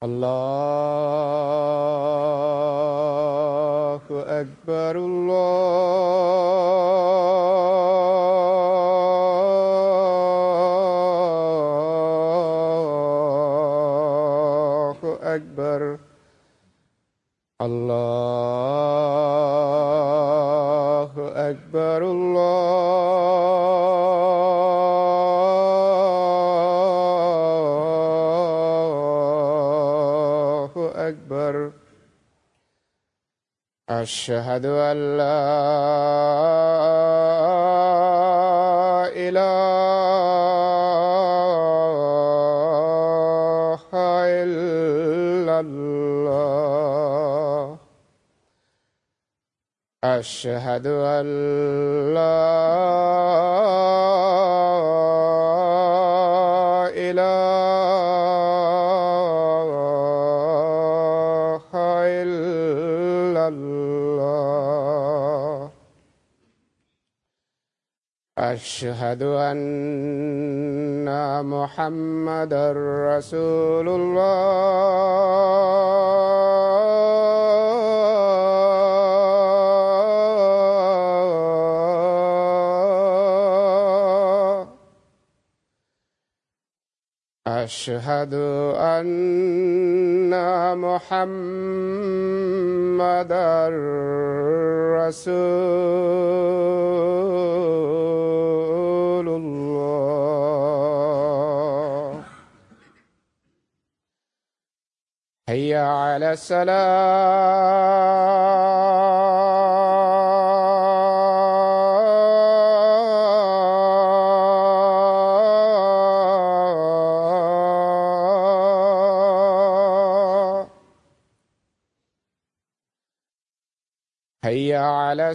الله أكبر الله أكبر الله أكبر الله أكبر أشهد أن لا إله إلا الله أشهد أن لا إله إلا الله أشهد أن محمدا رسول الله أشهد أن محمدا رسول الله حي على السلام حي على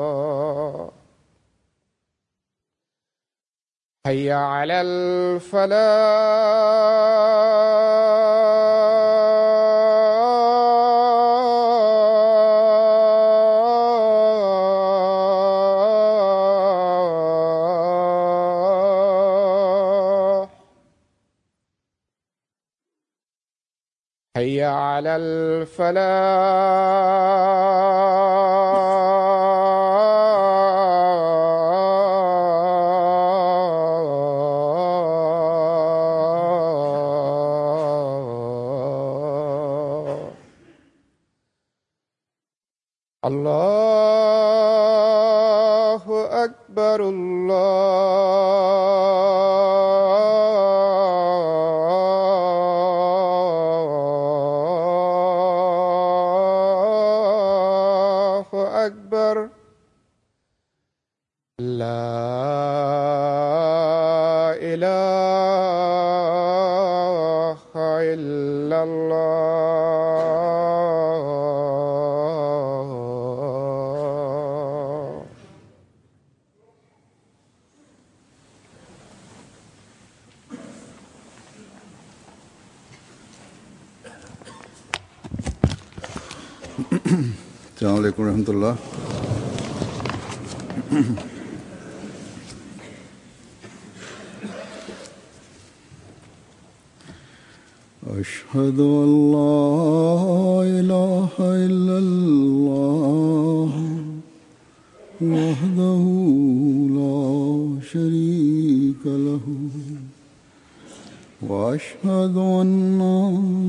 السلام حي على الفلاح حي على الفلاح الله أكبر الله أكبر لا إله إلا الله. السلام عليكم ورحمة الله. أشهد أن لا إله إلا الله وحده لا شريك له وأشهد أن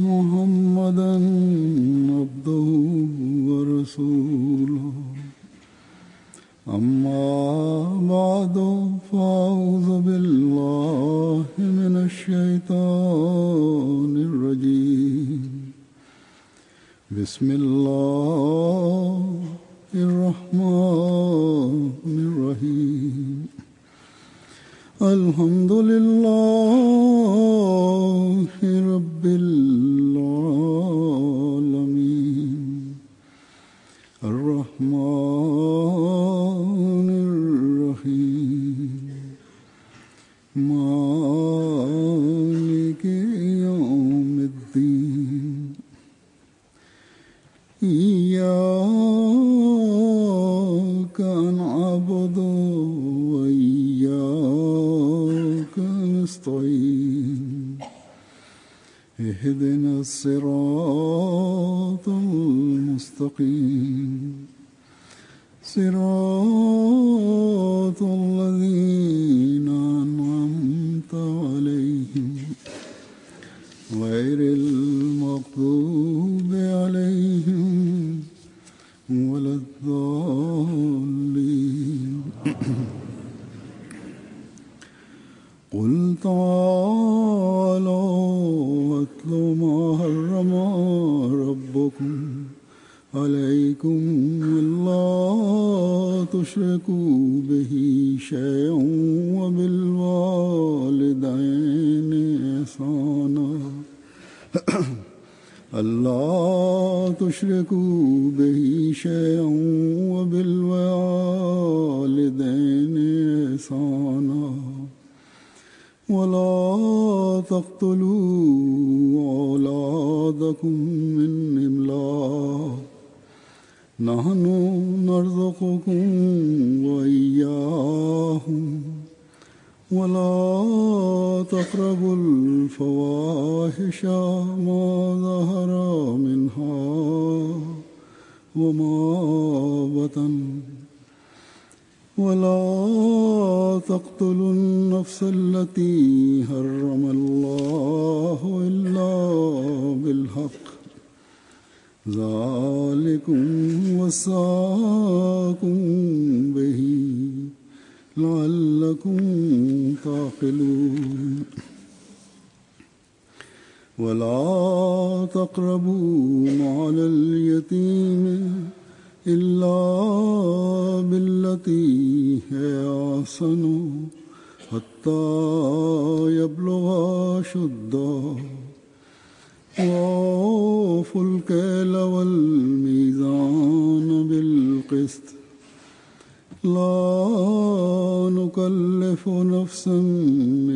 محمدا عبده ورسوله. أما بعد فأعوذ بالله من الشيطان الرجيم. بسم الله الرحمن الرحيم. الحمد لله رب العالمين الرحمن مالك يوم الدين إياك نعبد وإياك نستعين اهدنا الصراط المستقيم صراط الذين أنعمت عليهم غير المغضوب عليهم ولا الضالين قل تعالوا واتل ما حرم ربكم عليكم ألا تشركوا به شيئا وبالوالدين إحسانا ألا تشركوا به شيئا وبالوالدين إحسانا ولا تقتلوا أولادكم من إملاق نحن نرزقكم وإياهم ولا تقربوا الفواحش ما ظهر منها وما بطن ولا تقتلوا النفس التي حرم الله إلا بالحق ذلكم وصاكم به لعلكم تعقلون ولا تقربوا مال اليتيم إلا بالتي هي أحسن حتى يبلغ أشده وأوفوا الكيل والميزان بالقسط لا نكلف نفسا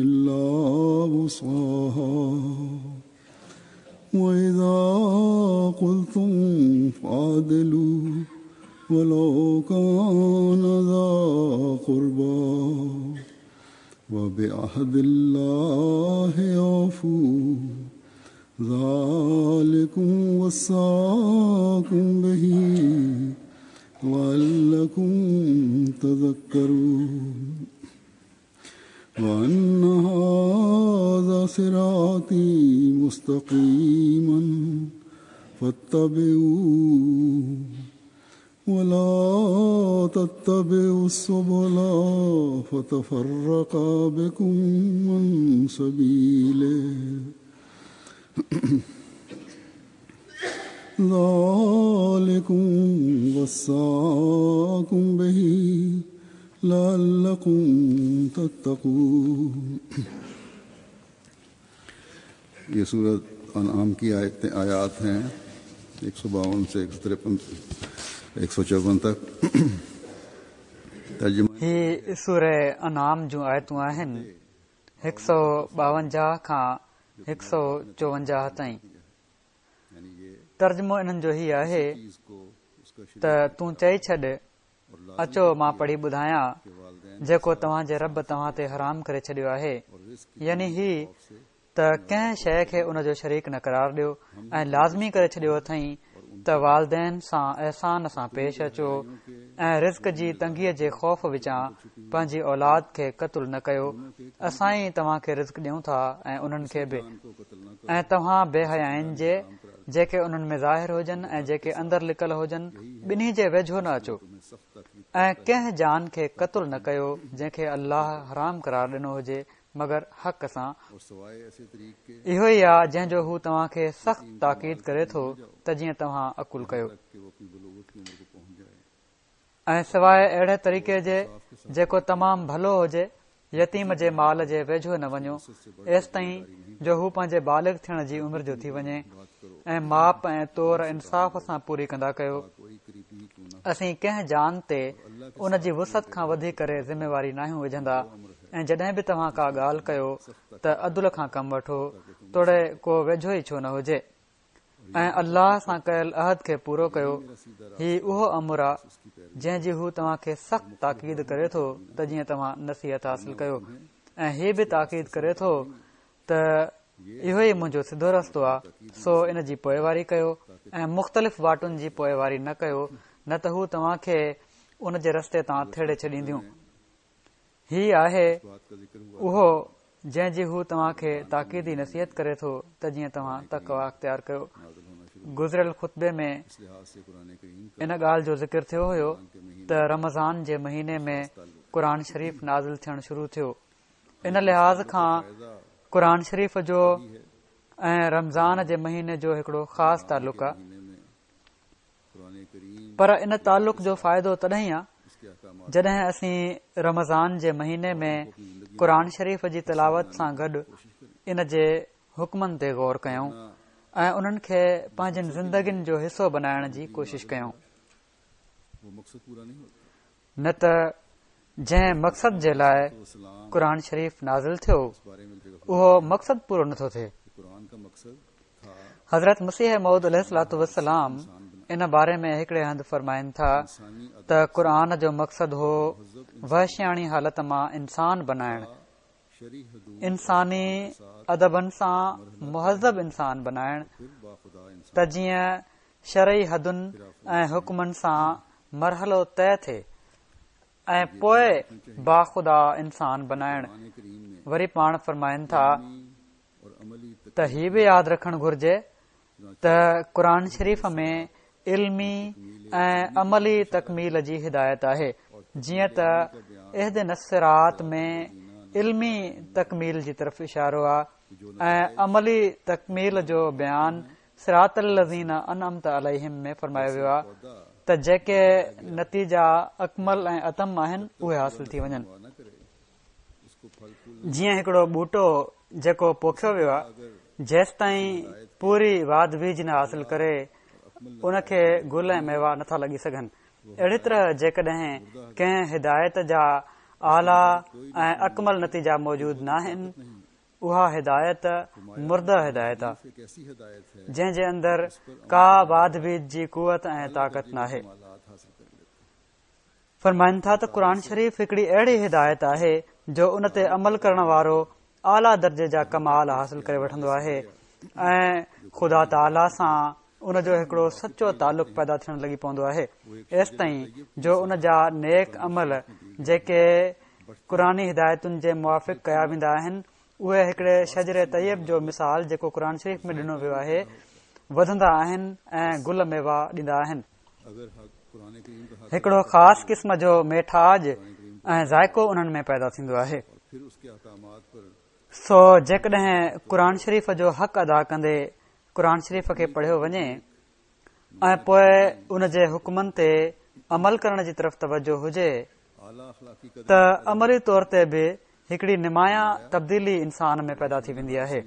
إلا وسعها وإذا قلتم فاعدلوا ولو كان ذا قربى وبعهد الله أوفوا ذلكم وصاكم به لعلكم تذكرون وأن هذا صراطي مستقيما فاتبعوه ولا تتبعوا السبل فتفرق بكم عن سبيله ذلكم وصاكم به لعلكم تتقون. یہ سورۃ انعام کی آیات ہیں 152 سے 153 154 تک. ترجمہ هي سورة انعام جون آيتون آهن 152 کان 154 تائين. ترجمو انهن جو هي آهي ته تون چئي ڇڏ، اچو مان پڙهي ٻڌايان جيڪو توهان جي رب توهان تي حرام ڪري ڇڏيو آهي، يعني هي ته ڪنهن شيء کي ان جو شريڪ نه قرار ڏيو ۽ لازمي ڪري ڇڏيو اٿئين ته والدين سان احسان سان پيش اچو ۽ رزق جي تنگيء جي خوف وچان پنهنجي اولاد کي قتل نه ڪيو، اسان ئي توهان کي رزق ڏيون ٿا ۽ انهن کي به، ۽ توهان بي حيائين جي، جيڪي انهن ۾ ظاهر هجن ۽ جيڪي اندر لڪل هجن، ٻنهي جي ويجهو نه اچو، ۽ ڪنهن جان کي قتل نه ڪيو جنهن کي الله حرام قرار ڏنو هجي مگر حق سان. اهو ئي آ جنهن جو هو توهان کي سخت تاڪيد ڪري ٿو ته جيئن توهان عقل ڪيو. ۽ سواء اهڙي طريقي جي جيڪو تمام ڀلو هجي، يتيم جي مال جي ويجهو نه وڃو، ايستائين جو هو پنهنجي بالغ ٿيڻ جي عمر جو ٿي وڃي، ۽ ماپ ۽ تور انصاف سان پوري ڪندا ڪيو. اسين ڪنهن جان تي ان جي وسعت کان وڌي ڪري ذميواري ناهيون وجهندا. ۽ جڏهن به توهان ڪا ڳالهه ڪيو ته عدل کان ڪم وٺو توڙي ڪو ويجهو ئي ڇو نه هجي ۽ الله سان ڪيل عهد کي پورو ڪيو هي اهو امر آ جنهن جي هو توهان کي سخت تاڪيد ڪري ٿو ته جيئن توهان نصيحت حاصل ڪيو ۽ هي به تاڪيد ڪري ٿو ته اهو ئي منهنجو سڌو رستو آ سو ان جي پوئواري ڪيو ۽ مختلف واٽن جي پوئواري نه ڪيو نه ته هو توهان کي ان جي رستي تان ٿيڙي ڇڏينديون. هي آهي اهو جنهن جي هو توهان کي تاڪيدي نصيحت ڪري ٿو ته جيئن توهان تقويٰ اختيار ڪيو. گذريل خطبي ۾ ان ڳالهه جو ذڪر ٿيو هيو ته رمضان جي مهيني ۾ قرآن شريف نازل ٿيڻ شروع ٿيو. ان لحاظ کان قرآن شريف جو ۽ رمضان جي مهيني جو هڪڙو خاص تعلق آهي. پر ان تعلق جو فائدو تڏهن ئي آ جڏهن اسين رمضان جي مهيني ۾ قرآن شريف جي تلاوت سان گڏ ان جي حڪمن تي غور ڪيون ۽ انهن کي پنهنجين زندگين جو حصو بنائڻ جي ڪوشش ڪيون نه ته جنهن مقصد جي لاء قرآن شريف نازل ٿيو اهو مقصد پورو نٿو ٿئي. حضرت مسيح موعود عليه الصلوة والسلام ان باري ۾ هڪڙي هنڌ فرمائن ٿا ته قرآن جو مقصد هو وحشياڻي حالت مان انسان بنائڻ، انساني ادبن سان مهذب انسان بنائڻ ته جيئن شرعي حدن ۽ حڪمن سان مرحلو طئي ٿئي ۽ پوء باخدا انسان بنائڻ. وري پاڻ فرمائن ٿا ته هي به ياد رکڻ گهرجي ته قرآن شريف ۾ علمي ۽ عملي تڪميل جي هدايت آهي جيئن ته اهدنا الصراط ۾ علمي تڪميل جي طرف اشارو آهي ۽ عملي تڪميل جو بيان صراط الذين انعمت عليهم ۾ فرمايو ويو آهي ته جيڪي نتيجا اڪمل ۽ اتم آهن اهي حاصل ٿي وڃن. جيئن هڪڙو ٻوٽو جيڪو پوکيو ويو آهي جيستائين پوري واڌ ويجهه نه حاصل ڪري ان کي گل ۽ ميوا نٿا لڳي سگهن. اهڙي طرح جيڪڏهن ڪنهن هدايت جا اعليٰ ۽ اڪمل نتيجا موجود ناهن اها هدايت مرده هدايت آ، جنهن جي اندر ڪا واڌ ويجهه جي قوت ۽ طاقت ناهي. فرمائن ٿا ته قرآن شريف هڪڙي اهڙي هدايت آهي جو ان تي عمل ڪرڻ وارو اعليٰ درجي جا ڪمال حاصل ڪري وٺندو آهي ۽ خدا تعاليٰ سان ان جو هڪڙو سچو تعلق پيدا ٿيڻ لڳي پوندو آهي ايستائين جو ان جا نيڪ عمل جيڪي قرآني هدايتن جي موافق ڪيا ويندا آهن اهي هڪڙي شجر طيب جو مثال جيڪو قرآن شريف ۾ ڏنو ويو آهي وڌندا آهن ۽ گل ميوا ڏيندا آهن هڪڙو خاص قسم جو ميٺاج ۽ ذائقو انهن ۾ پيدا ٿيندو آهي سو جيڪڏهن قرآن شريف جو حق ادا ڪندي قرآن شريف کي پڙهيو وڃي ۽ پوء ان جي حڪمن تي عمل ڪرڻ جي طرف توجه هجي ته عملي طور تي به هڪڙي نمايان تبديلي انسان ۾ پيدا ٿي ويندي آهي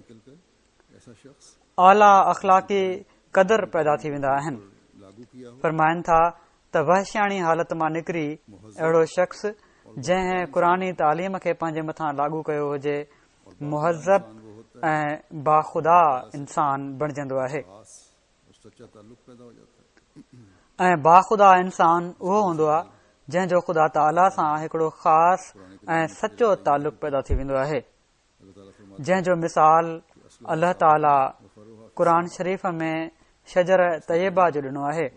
اعليٰ اخلاقي قدر پيدا ٿي ويندا آهن فرمائن ٿا ته وحشياڻي حالت مان نڪري اهڙو شخص جنهن قرآني تعليم کي پنهنجي مٿان لاڳو ڪيو هجي مهذب ۽ باخدا انسان بڻجندو آهي ۽ باخدا انسان اهو هوندو آهي جنهن جو خدا تعاليٰ سان هڪڙو خاص ۽ سچو تعلق پيدا ٿي ويندو آهي جنهن جو مثال الله تعاليٰ قرآن شريف ۾ شجر طيبه جو ڏنو آهي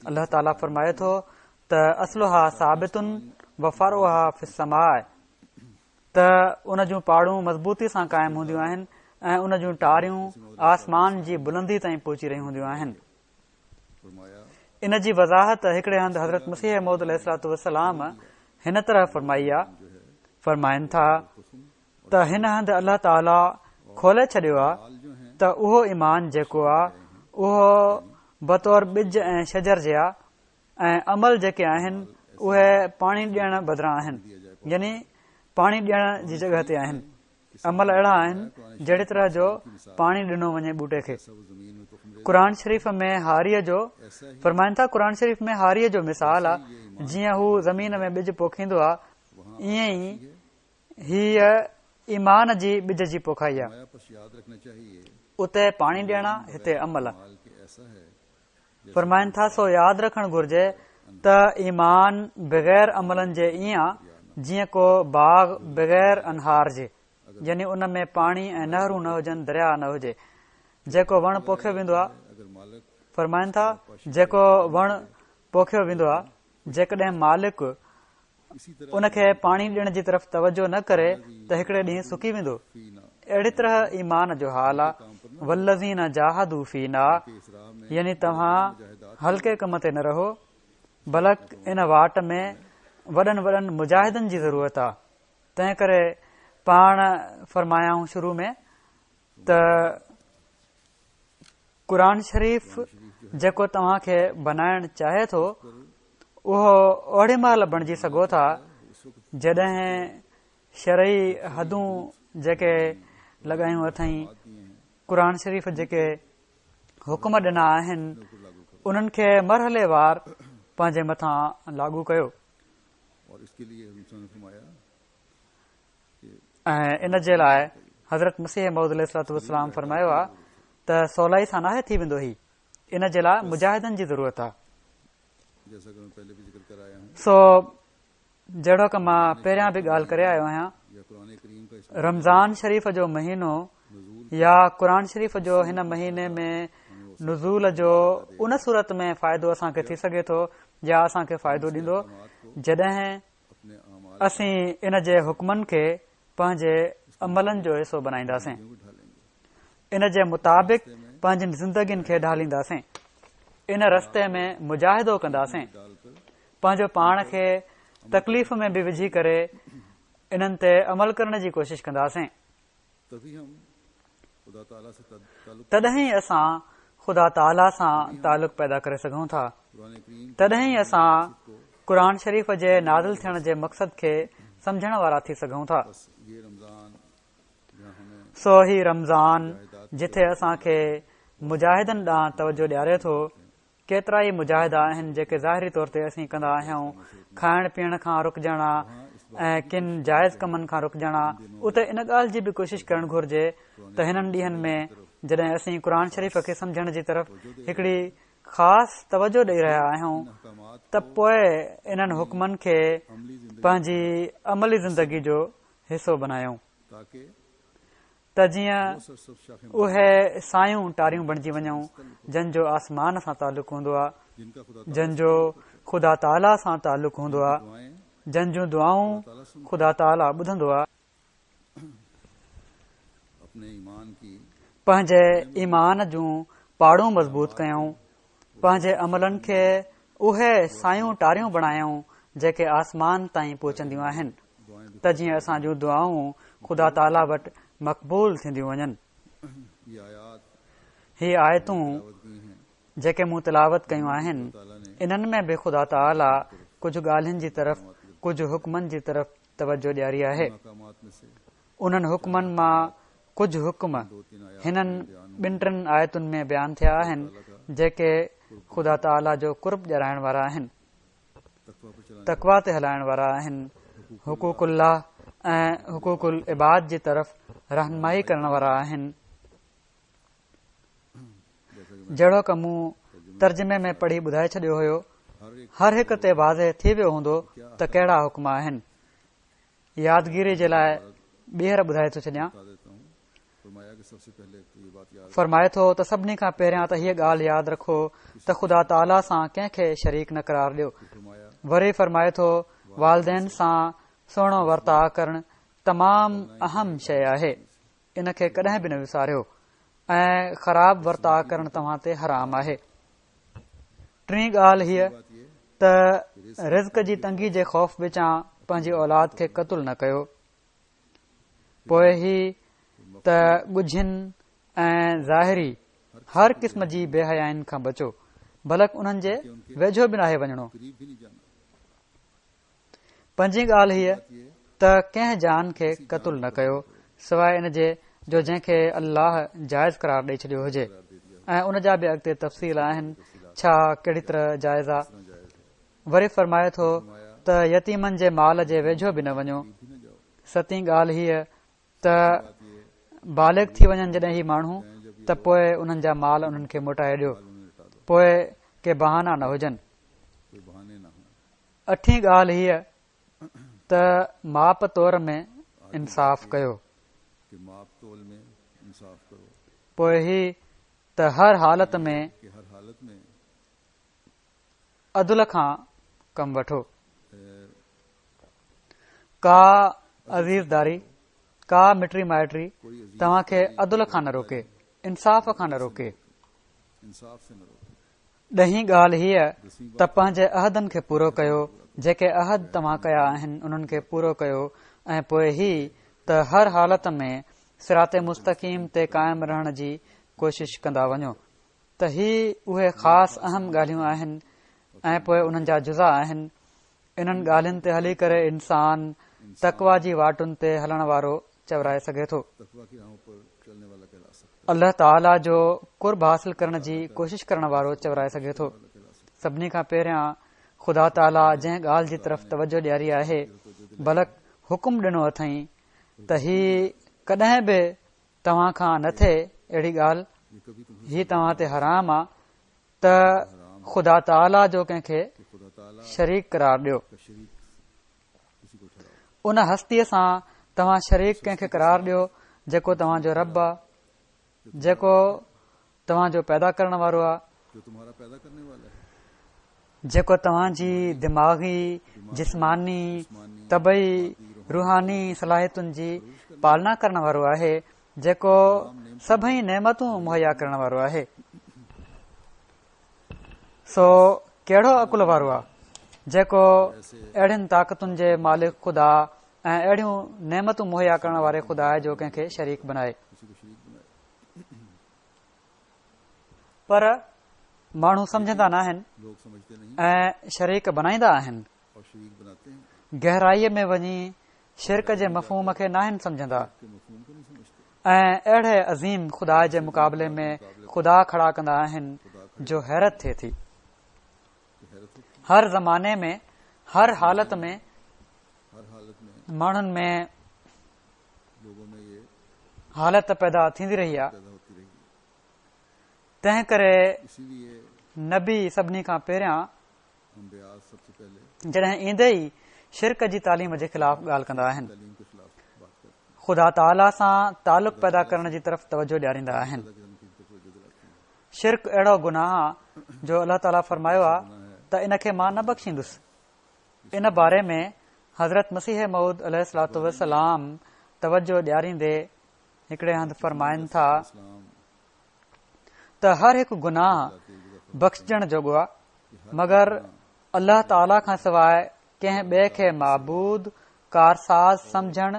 الله تعاليٰ فرمائي ٿو ته اصلها ثابت وفرعها في السماء ته ان جون پاڙون مضبوطي سان قائم هونديون آهن ۽ ان جون ٽاريون آسمان جي بلندي تائين پهچي رهيون هونديون آهن. ان جي وضاحت هڪڙي هنڌ حضرت مسيح موعود عليه الصلوة والسلام هن طرح فرمائي آ، فرمائن ٿا ته هن هنڌ الله تعاليٰ کولي ڇڏيو آ ته اهو ايمان جيڪو آ اهو بطور ٻج ۽ شجر جي آ ۽ عمل جيڪي آهن اهي پاڻي ڏيڻ بدران آهن يعني پاڻي ڏيڻ جي جڳهه تي آهن عمل اهڙا آهن جهڙي طرح جو پاڻي ڏنو وڃي ٻوٽي کي قرآن شريف ۾ هاريء جو فرمائن ٿا قرآن شريف ۾ هاريء جو مثال آ جيئن هو زمين ۾ ٻج پوکيندو آ ائين ئي هيء ايمان جي ٻج جي پوکائي آ. اتي پاڻي ڏيڻ آ، هتي عمل آ. فرمائن ٿا، سو ياد رکڻ گهرجي ته ايمان بغير عملن جي ائين آ جيئن ڪو باغ بغير انهار جي، يعني ان ۾ پاڻي ۽ نهرون نه هجن، درياء نه هجي. جيڪو وڻ پوکيو ويندو آ، فرمائن ٿا، جيڪو وڻ پوکيو ويندو آ، جيڪڏهن مالڪ ان کي پاڻي ڏيڻ جي طرف توجه نه ڪري ته هڪڙي ڏينهن سڪي ويندو. اهڙي طرح ايمان جو حال آ، والذين جاهدوا فينا يعني توهان هلڪي ڪم تي نه رهو بلڪ ان واٽ ۾ وڏن وڏن مجاهدن جي ضرورت آ. تنهن ڪري پاڻ فرمايائون شروع ۾ ته قرآن شريف جيڪو توهان کي بنائڻ چاهي ٿو اهو اوڏي مهل بڻجي سگهو ٿا جڏهن شرعي حدون جيڪي لڳايون اٿئين قرآن شريف جيڪي حڪم ڏنا آهن انهن کي مرحلي وار پنهنجي مٿان لاڳو ڪيو ۽ ان جي لاء حضرت مسيح موعود عليه الصلوة والسلام فرمايو آ ته سولائي سان ناهي ٿي ويندو هي ان جي لاء مجاهدن جي ضرورت آ. سو جهڙوڪ مان پهريان به ڳالهه ڪري آيو آهيان رمضان شريف جو مهينو يا قرآن شريف جو هن مهيني ۾ نزول جو ان صورت ۾ فائدو اسان کي ٿي سگهي ٿو يا اسان کي فائدو ڏيندو جڏهن اسين ان جي حڪمن کي پنهنجي عملن جو حصو بنائينداسين ان جي مطابق پنهنجين زندگين کي ڍالينداسين ان رستي ۾ مجاهدو ڪنداسين پنهنجو پاڻ کي تڪليف ۾ به وجهي ڪري انهن تي عمل ڪرڻ جي ڪوشش ڪنداسين تڏهن ئي اسان خدا تعاليٰ سان تعلق پيدا ڪري سگهون ٿا. تڏهن ئي اسان قرآن شريف جي نازل ٿيڻ جي مقصد کي سمجهڻ وارا ٿي سگهون ٿا. سو هي رمضان جٿي اسان کي مجاهدن ڏانهن توجه ڏياري ٿو، ڪيترائي مجاهدا آهن جيڪي ظاهري طور تي اسين ڪندا آهيون، کائڻ پيئڻ کان رڪجڻ آ ۽ ڪن جائز ڪمن کان رڪجڻ آ، اتي ان ڳالهه جي به ڪوشش ڪرڻ گهرجي ته هنن ڏينهن ۾ جڏهن اسين قرآن شريف کي سمجهڻ جي طرف هڪڙي خاص توجه ڏئي رهيا آهيون ته پوء انهن حڪمن کي پنهنجي عملي زندگي جو حصو بنايون. ته جيئن اهي سايون ٽاريون بڻجي وڃون جن جو آسمان سان تعلق هوندو آهي، جن جو خدا تعاليٰ سان تعلق هوندو آهي، جن جون دعائون خدا تعاليٰ ٻڌندو آهي. پنهنجي ايمان جون پاڙون مضبوط ڪيون، پنهنجي عملن کي اهي سايون ٽاريون بڻايون جيڪي آسمان تائين پهچنديون آهن ته جيئن اسان جون دعائون خدا تعاليٰ وٽ مقبول ٿينديون وڃن. هي آيتون جيڪي مون تلاوت ڪيون آهن انهن ۾ به خدا تعاليٰ ڪجهه ڳالهين جي طرف ڪجهه حڪمن جي طرف توجه ڏياري آهي. انهن حڪمن مان ڪجهه حڪم هنن ٻن ٽن آيتن ۾ بيان ٿيا آهن، جيڪي خدا تعاليٰ جو قرب ڏيارائڻ وارا آهن، تقويٰ تي هلائڻ وارا آهن، حقوق الله ۽ حقوق العباد جي طرف رهنمائي ڪرڻ وارا آهن. جهڙوڪ مون ترجمي ۾ پڙهي ٻڌائي ڇڏيو هيو، هر هڪ تي واضح ٿي ويو هوندو ته ڪهڙا حڪم آهن. يادگيري جي لاء ٻيهر ٻڌائي ٿو ڇڏيان. فرمائي ٿو ته سڀني کان پهريان ته هيء ڳالهه ياد رکو ته خدا تعاليٰ سان ڪنهن کي شريڪ نه قرار ڏيو. وري فرمائي ٿو والدين سان سهڻو ورتاء ڪرڻ تمام اهم شيء آهي ان کي ڪڏهن به نه وساريو ۽ خراب ورتاء ڪرڻ توهان تي حرام آهي. ٽين ڳالهه هيء ته رزق جي تنگي جي خوف وچان پنهنجي اولاد کي قتل نه ڪيو. پوء هي ته ڳجهين ۽ ظاهري هر قسم جي بي حيائين کان بچو، بلڪ انهن جي ويجهو به ناهي وڃڻو. پنجين ڳالهه هيء ته ڪنهن جان کي قتل نه ڪيو سواء ان جي جو جنهن کي الله جائز قرار ڏئي ڇڏيو هجي ۽ ان جا به اڳتي تفصيل آهن ڇا ڪهڙي طرح جائز آ. وري فرمائي ٿو ته يتيمن جي مال جي ويجهو به نه وڃو. ستين ڳالهه هيء ته بالغ ٿي وڃن جڏهن هي ماڻهو ته پوء انهن جا مال انهن کي موٽائي ڏيو پوء ڪي بهانا نه هجن. اٺين ڳالهه هيء ته ماپ تور ۾ انصاف ڪيو. پوء هي ته هر حالت ۾ عدل کان ڪم وٺو. ڪا عزيزداري، ڪا مٽي مائٽي توهان کي عدل کان نه روڪي، انصاف کان نه روڪي. ڏهين ڳالهه هيء ته پنهنجي عهدن کي پورو ڪيو، جيڪي عهد توهان ڪيا آهن انهن کي پورو ڪيو ۽ پوء هي ته هر حالت ۾ صراط مستقيم تي قائم رهڻ جي ڪوشش ڪندا وڃو ته هي اهي خاص اهم ڳالهيون آهن ۽ پوء انهن جا جزا آهن. انهن ڳالهين تي هلي ڪري انسان تقويٰ جي واٽن تي هلڻ وارو چورائي سگهي ٿو. الله تعاليٰ جو قرب حاصل ڪرڻ جي ڪوشش ڪرڻ وارو چورائي سگهي ٿو. سڀني کان پهريان خدا تعاليٰ جنهن ڳالهه جي طرف توجه ڏياري آهي بلڪ حڪم ڏنو اٿئين ته هي ڪڏهن به توهان کان نه ٿئي اهڙي ڳالهه هي توهان تي حرام آ ته خدا تعاليٰ جو ڪنهن کي شريڪ قرار ڏيو. ان هستيء سان توهان شريڪ ڪنهن کي قرار ڏيو جيڪو توهان جو رب آ، جيڪو توهان جو پيدا ڪرڻ وارو آ، جيڪو توهان جي دماغي، جسماني، طبعي، روحاني صلاحيتن جي پالنا ڪرڻ وارو آهي، جيڪو سڀئي نعمتون مهيا ڪرڻ وارو آهي. سو ڪهڙو عقل وارو آ جيڪو اهڙين طاقتن جي مالڪ خدا ۽ اهڙيون نعمتون مهيا ڪرڻ واري خدا جو ڪنهن کي شريڪ بنائي. پر ماڻهو سمجهندا ناهن ۽ شريڪ بنائيندا آهن. گهرائيء ۾ وڃي شرڪ جي مفهوم کي ناهن سمجهندا ۽ اهڙي عظيم خدا جي مقابلي ۾ خدا کڙا ڪندا آهن جو حيرت ٿئي ٿي. هر زماني ۾ هر حالت ۾ ماڻهن ۾ حالت پيدا ٿيندي رهي آهي تنهن ڪري نبي سڀني کان پهريان جڏهن ايندي ئي شرڪ جي تعليم جي خلاف ڳالهه ڪندا آهن خدا تعاليٰ سان تعلق پيدا ڪرڻ جي طرف توجه ڏياريندا آهن شرڪ اهڙو گناهه آ جو الله تعاليٰ فرمايو آ ته ان کي مان نه بخشيندس ان باري ۾ حضرت مسيح موعود عليه الصلوة والسلام توجه ڏياريندي هڪڙي هنڌ فرمائن ٿا ته هر هڪ گناهه بخشجڻ جوڳو آ مگر الله تعاليٰ کان سواء ڪنهن ٻئي کي معبود، ڪارساز، سمجهڻ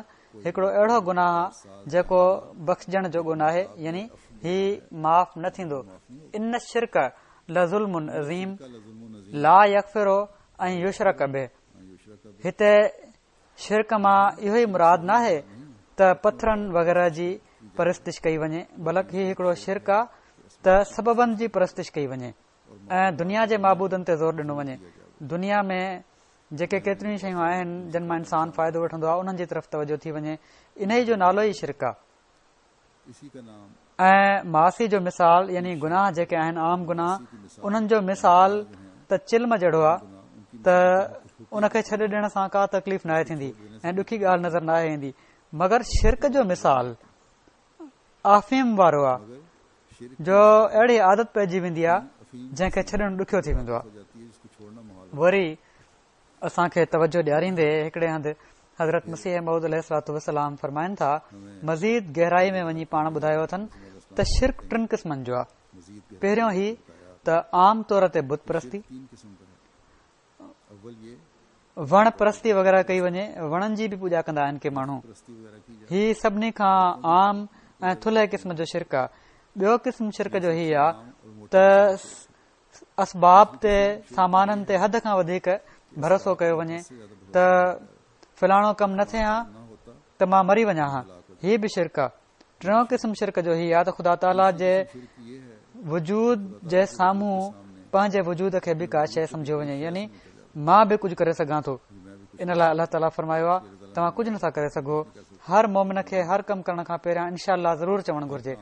هڪڙو اهڙو گناهه آ جيڪو بخشجڻ جوڳو ناهي يعني هي معاف نه ٿيندو ان الشرڪ لظلم عظيم لا يغفر ان يشرڪ به هتي شرڪ مان اهو ئي مراد ناهي ته پٿرن وغيره جي پرستش ڪئي وڃي بلڪ هي هڪڙو شرڪ آ ته سببن جي پرستش ڪئي وڃي ۽ دنيا جي معبودن تي زور ڏنو وڃي دنيا ۾ جيڪي ڪيتريون شيون آهن جن مان انسان فائدو وٺندو آهي انهن جي طرف توجه ٿي وڃي انهي جو نالو ئي شرڪ آهي ۽ معاصي جو مثال يعني گناهه جيڪي آهن عام گناهه انهن جو مثال ته چلم جهڙو آهي ته ان کي ڇڏي ڏيڻ سان ڪا تڪليف ناهي ٿيندي ۽ ڏکي ڳالهه نظر ناهي ايندي مگر شرڪ جو مثال آفيم وارو آهي جو اهڙي عادت پئجي ويندي آهي جنهن کي ڇڏڻ ڏکيو ٿي ويندو آهي وري اسان کي توجه ڏياريندي هڪڙي هنڌ حضرت مسيح موعود عليه الصلوة والسلام فرمائن ٿا مزيد گهرائي ۾ وڃي پاڻ ٻڌايو اٿن ته شرڪ ٽن قسمن جو آهي پهريون هي ته عام طور تي بت پرستي وڻ پرستي وغيره ڪئي وڃي وڻن جي به پوڄا ڪندا آهن ڪي ماڻهو هي سڀني کان عام ۽ ٿلهي قسم جو شرڪ آهي ٻيو قسم شرڪ جو هي آهي ته اسباب تي سامانن تي حد کان وڌيڪ ڀروسو ڪيو وڃي ته فلاڻو ڪم نه ٿئي ها ته مان مري وڃان ها هي به شرڪ آهي ٽيون قسم شرڪ جو هي آهي ته خدا تعاليٰ جي وجود جي سامهون پنهنجي وجود کي به ڪا شيء سمجهيو وڃي يعني مان به ڪجهه ڪري سگهان ٿو ان لاء الله تعاليٰ فرمايو آهي. توهان ڪجهه نٿا ڪري سگهو. هر مؤمن کي هر ڪم ڪرڻ کان پهريان انشاء الله ضرور چوڻ گهرجي.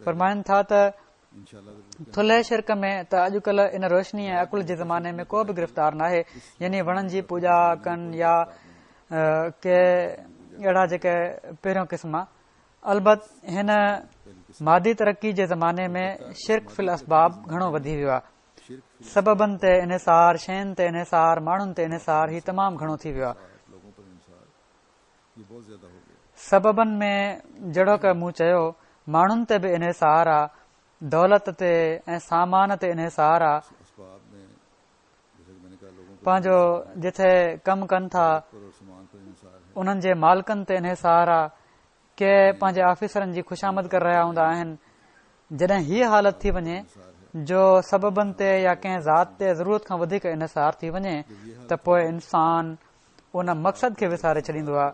فرمائن ٿا ته ٿلهي شرڪ ۾ ته اڄڪلهه ان روشني ۽ عقل جي زماني ۾ ڪو به گرفتار ناهي يعني وڻن جي پوڄا ڪن يا ڪي اهڙا جيڪي پهريون قسم آ. البت هن مادي ترقي جي زماني ۾ شرڪ في الاسباب گهڻو وڌي ويو آ. سببن تي انحصار، شين تي انحصار، ماڻهن تي انحصار هي تمام گهڻو ٿي ويو آ. سببن ۾ جهڙوڪ مون چيو ماڻهن تي به انحصار آ، دولت تي ۽ سامان تي انحصار آ. پنهنجو جٿي ڪم ڪن ٿا انهن جي مالڪن تي انحصار آ. ڪي پنهنجي آفيسرن جي خوشامد ڪري رهيا هوندا آهن. جڏهن هيء حالت ٿي وڃي جو سببن تي يا ڪنهن ذات تي ضرورت کان وڌيڪ انحصار ٿي وڃي ته پوء انسان ان مقصد کي وساري ڇڏيندو آهي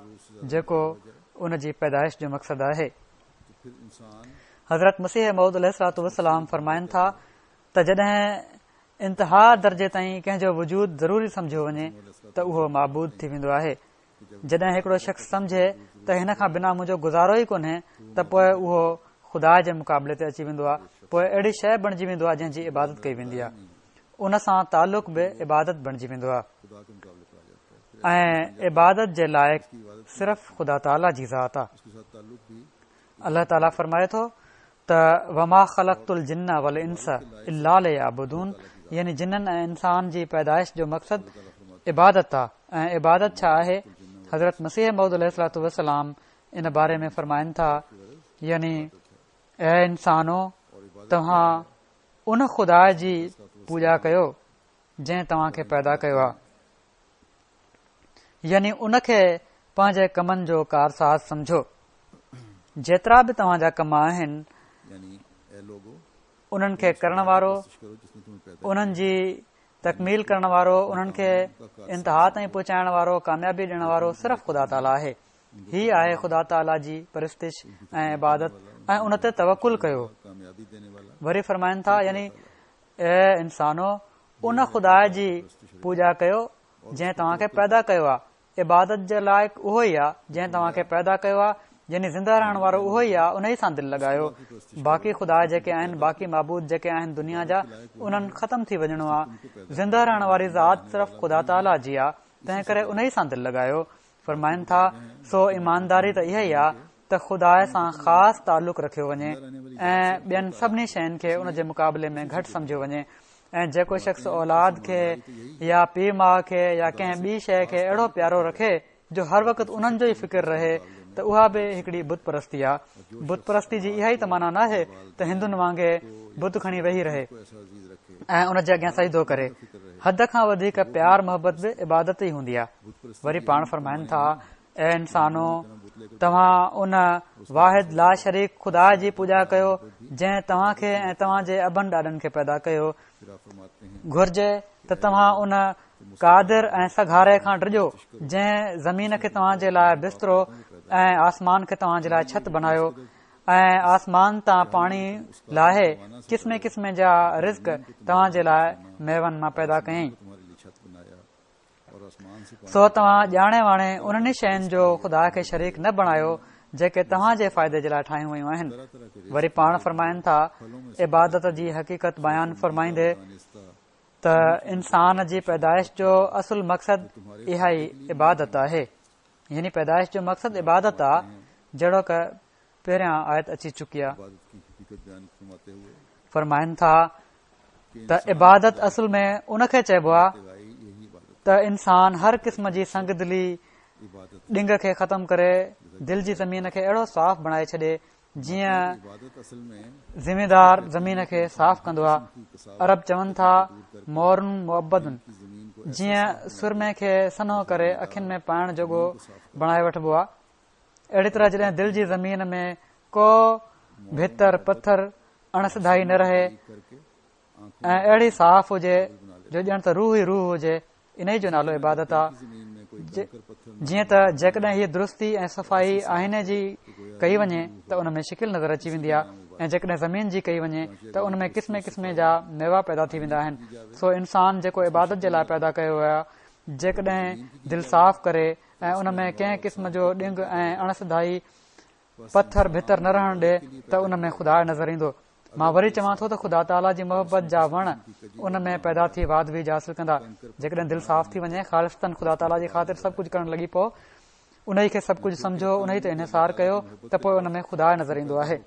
جيڪو ان جي پيدائش جو مقصد آهي. حضرت مسيح موعود عليه الصلوة والسلام فرمائن ٿا ته جڏهن انتها درجي تائين ڪنهن جو وجود ضروري سمجهيو وڃي ته اهو معبود ٿي ويندو آهي. جڏهن هڪڙو شخص سمجهي ته هن کان بنا منهنجو گذارو ئي ڪونهي ته پوء اهو خدا جي مقابلي تي اچي ويندو آهي، پوء اهڙي شيء بڻجي ويندو آهي جنهن جي عبادت ڪئي ويندي آهي. ان سان تعلق به عبادت بڻجي ويندو آهي ۽ عبادت جي لائق صرف خدا تعاليٰ جي ذات آهي. الله تعاليٰ فرمائي ٿو ته وما خلقت الجن والانس الا ليعبدون يعني جنن ۽ انسان جي پيدائش جو مقصد عبادت آ ۽ عبادت ڇا آهي؟ حضرت مسيح موعود عليه الصلوة والسلام ان باري ۾ فرمائن ٿا يعني اي انسانو توهان ان خدا جي پوڄا ڪيو جنهن توهان کي پيدا ڪيو آ يعني ان کي پنهنجي ڪمن جو ڪارساز سمجهو. جيترا به توهان جا ڪم آهن، انهن کي ڪرڻ وارو، انهن جي تڪميل ڪرڻ وارو، انهن کي انتها تائين پهچائڻ وارو، ڪاميابي ڏيڻ وارو صرف خدا تعاليٰ آهي. هي آهي خدا تعاليٰ جي پرستش ۽ عبادت ۽ ان تي توڪل ڪيو. وري فرمائن ٿا يعني اي انسانو! ان خدا جي پوڄا ڪيو جنهن توهان کي پيدا ڪيو آهي. عبادت جي لائق اهو ئي آهي جنهن توهان کي پيدا ڪيو آهي، يعني زنده رهڻ وارو اهو ئي آهي، انهي سان دل لڳايو. باقي خدا جيڪي آهن، باقي معبود جيڪي آهن دنيا جا، انهن ختم ٿي وڃڻو آهي. زنده رهڻ واري ذات صرف خدا تعاليٰ جي آهي، تنهن ڪري انهي سان دل لڳايو. فرمائن ٿا، سو ايمانداري ته اها ئي آهي ته خدا سان خاص تعلق رکيو وڃي ۽ ٻين سڀني شين کي ان جي مقابلي ۾ گهٽ سمجهيو وڃي ۽ جيڪو شخص اولاد کي يا پيء ماء کي يا ڪنهن ٻي شيء کي اهڙو پيارو رکي جو هر وقت انهن جو ئي فڪر رهي ته اها به هڪڙي بت پرستي آ. بت پرستي جي اها ئي ته معنيٰ ناهي ته هندن وانگي بت کڻي ويهي رهي ۽ ان جي اڳيان سجدو ڪري. حد کان وڌيڪ پيار محبت به عبادت ئي هوندي آ. وري پاڻ فرمائن ٿا اي انسانو! توهان ان واحد لاشريڪ خدا جي پوڄا ڪيو جنهن توهان کي ۽ توهان جي ابن ڏاڏن کي پيدا ڪيو. گهرجي ته توهان ان قادر ۽ سگهاري کان ڊڄو جنهن زمين کي توهان جي لاء بسترو ۽ آسمان کي توهان جي لاء ڇت بنايو ۽ آسمان تان پاڻي لاهي قسمين قسمين جا رزق توهان جي لاء ميون مان پيدا ڪيائين. سو توهان ڄاڻي واڻي انهن ئي شين جو خدا کي شريڪ نه بڻايو جيڪي توهان جي فائدي جي لاء ٺاهيون ويون آهن. وري پاڻ فرمائن ٿا، عبادت جي حقيقت بيان فرمائيندي ته انسان جي پيدائش جو اصل مقصد اها ئي عبادت آهي. يعني پيدائش جو مقصد عبادت آ جهڙوڪ پهريان آيت اچي چڪي آ. فرمائن ٿا ته عبادت اصل ۾ ان کي چئبو آ ته انسان هر قسم جي سنگ دلي ڏنگ کي ختم ڪري دل جي زمين کي اهڙو صاف بڻائي ڇڏي جيئن زميندار زمين کي صاف ڪندو آ عرب چون ٿا مور معبد جيئن سرمي کي سنهو ڪري اکين ۾ پائڻ جوڳو بڻائي وٺبو آ اهڙي طرح جڏهن دل جي زمين ۾ ڪو ڀتر پٿر اڻ سڌائي نه رهي ۽ اهڙي صاف هجي جو ڄڻ ته روح ئي روح هجي انهي جو نالو عبادت آ جيئن ته جيڪڏهن هيء درستي ۽ صفائي آئيني جي ڪئي وڃي ته ان ۾ شڪل نظر اچي ويندي آ ۽ جيڪڏهن زمين جي ڪئي وڃي ته ان ۾ قسمين قسمين جا ميوا پيدا ٿي ويندا آهن سو انسان جيڪو عبادت جي لاء پيدا ڪيو ويو آ جيڪڏهن دل صاف ڪري ۽ ان ۾ ڪنهن قسم جو ڏنگ ۽ اڻ سڌائي پٿر ڀتر نه رهڻ ڏي ته ان ۾ خدا نظر ايندو. مان وري چوان ٿو ته خدا تعاليٰ جي محبت جا وڻ ان ۾ پيدا ٿي واڌ ويجهه حاصل ڪندا. جيڪڏهن دل صاف ٿي وڃي، خالصتاً خدا تعاليٰ جي خاطر سڀ ڪجهه ڪرڻ لڳي پئو، انهي کي سڀ ڪجهه سمجهو، انهي تي انحصار ڪيو ته پوء ان ۾ خدا نظر ايندو آهي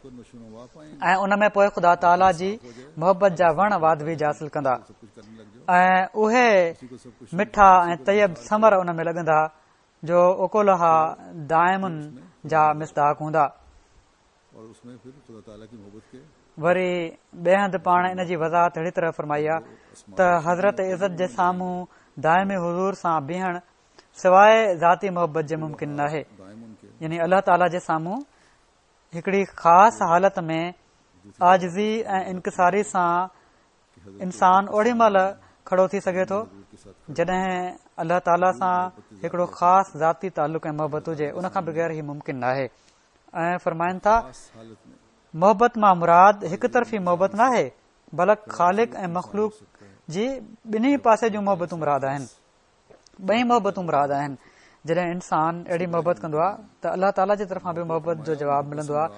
۽ ان ۾ پوء خدا تعاليٰ جي محبت جا وڻ واڌ ويجهه حاصل ڪندا ۽ اهي مٺا ۽ طيب ثمر ان ۾ لڳندا جو اڪلها دائم جا مصداق هوندا. وري ٻئي هنڌ پاڻ ان جي وضاحت اهڙي طرح فرمائي آهي ته حضرت عزت جي سامهون دائمي حضور سان بيهڻ سواء ذاتي محبت جي ممڪن ناهي يعني الله تعاليٰ جي سامهون هڪڙي خاص حالت ۾ عاجزي ۽ انڪساري سان انسان اوڏي مهل کڙو ٿي سگهي ٿو جڏهن الله تعاليٰ سان هڪڙو خاص ذاتي تعلق ۽ محبت هجي ان کان بغير هي ممڪن ناهي ۽ فرمائن ٿا محبت مان مراد هڪ طرفي محبت ناهي بلڪ خالق ۽ مخلوق جي ٻنهي پاسي جون محبتون مراد آهن ٻئي محبتون مراد آهن جڏهن انسان اهڙي محبت ڪندو آهي ته الله تعاليٰ جي طرفان به محبت جو جواب ملندو آهي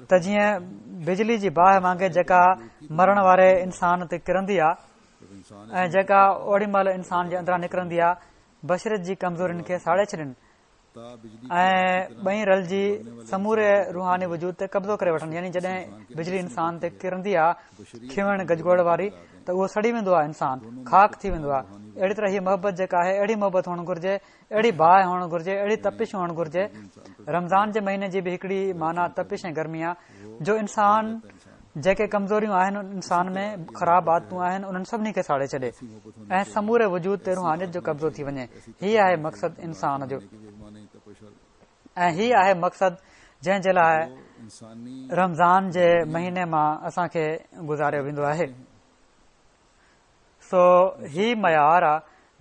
ته جيئن بجلي جي باهه وانگي جيڪا مرڻ واري انسان تي ڪرندي آهي ۽ جيڪا اوڏي مهل انسان جي اندران نڪرندي آهي بشريت جي ڪمزورين کي ساڙي ڇڏين ۽ ٻئي رلجي سموري روحاني وجود تي قبضو ڪري وٺن يعني جڏهن بجلي انسان تي ڪرندي آ کنوڻ گجگوڙ واري ته اهو سڙي ويندو آ انسان خاڪ ٿي ويندو آ اهڙي طرح هي محبت جيڪا آهي اهڙي محبت هئڻ گهرجي اهڙي باهه هئڻ گهرجي اهڙي تپش هئڻ گهرجي رمضان جي مهيني جي به هڪڙي معنيٰ تپش ۽ گرمي آ جو انسان جيڪي ڪمزوريون آهن انسان ۾ خراب عادتون آهن انهن سڀني کي ساڙي ڇڏي ۽ سموري وجود تي روحانيت جو قبضو ٿي وڃي هي آهي مقصد انسان جو ۽ هي آهي مقصد جنهن جي لاء رمضان جي مهيني مان اسان کي گذاريو ويندو آهي سو هي معيار آ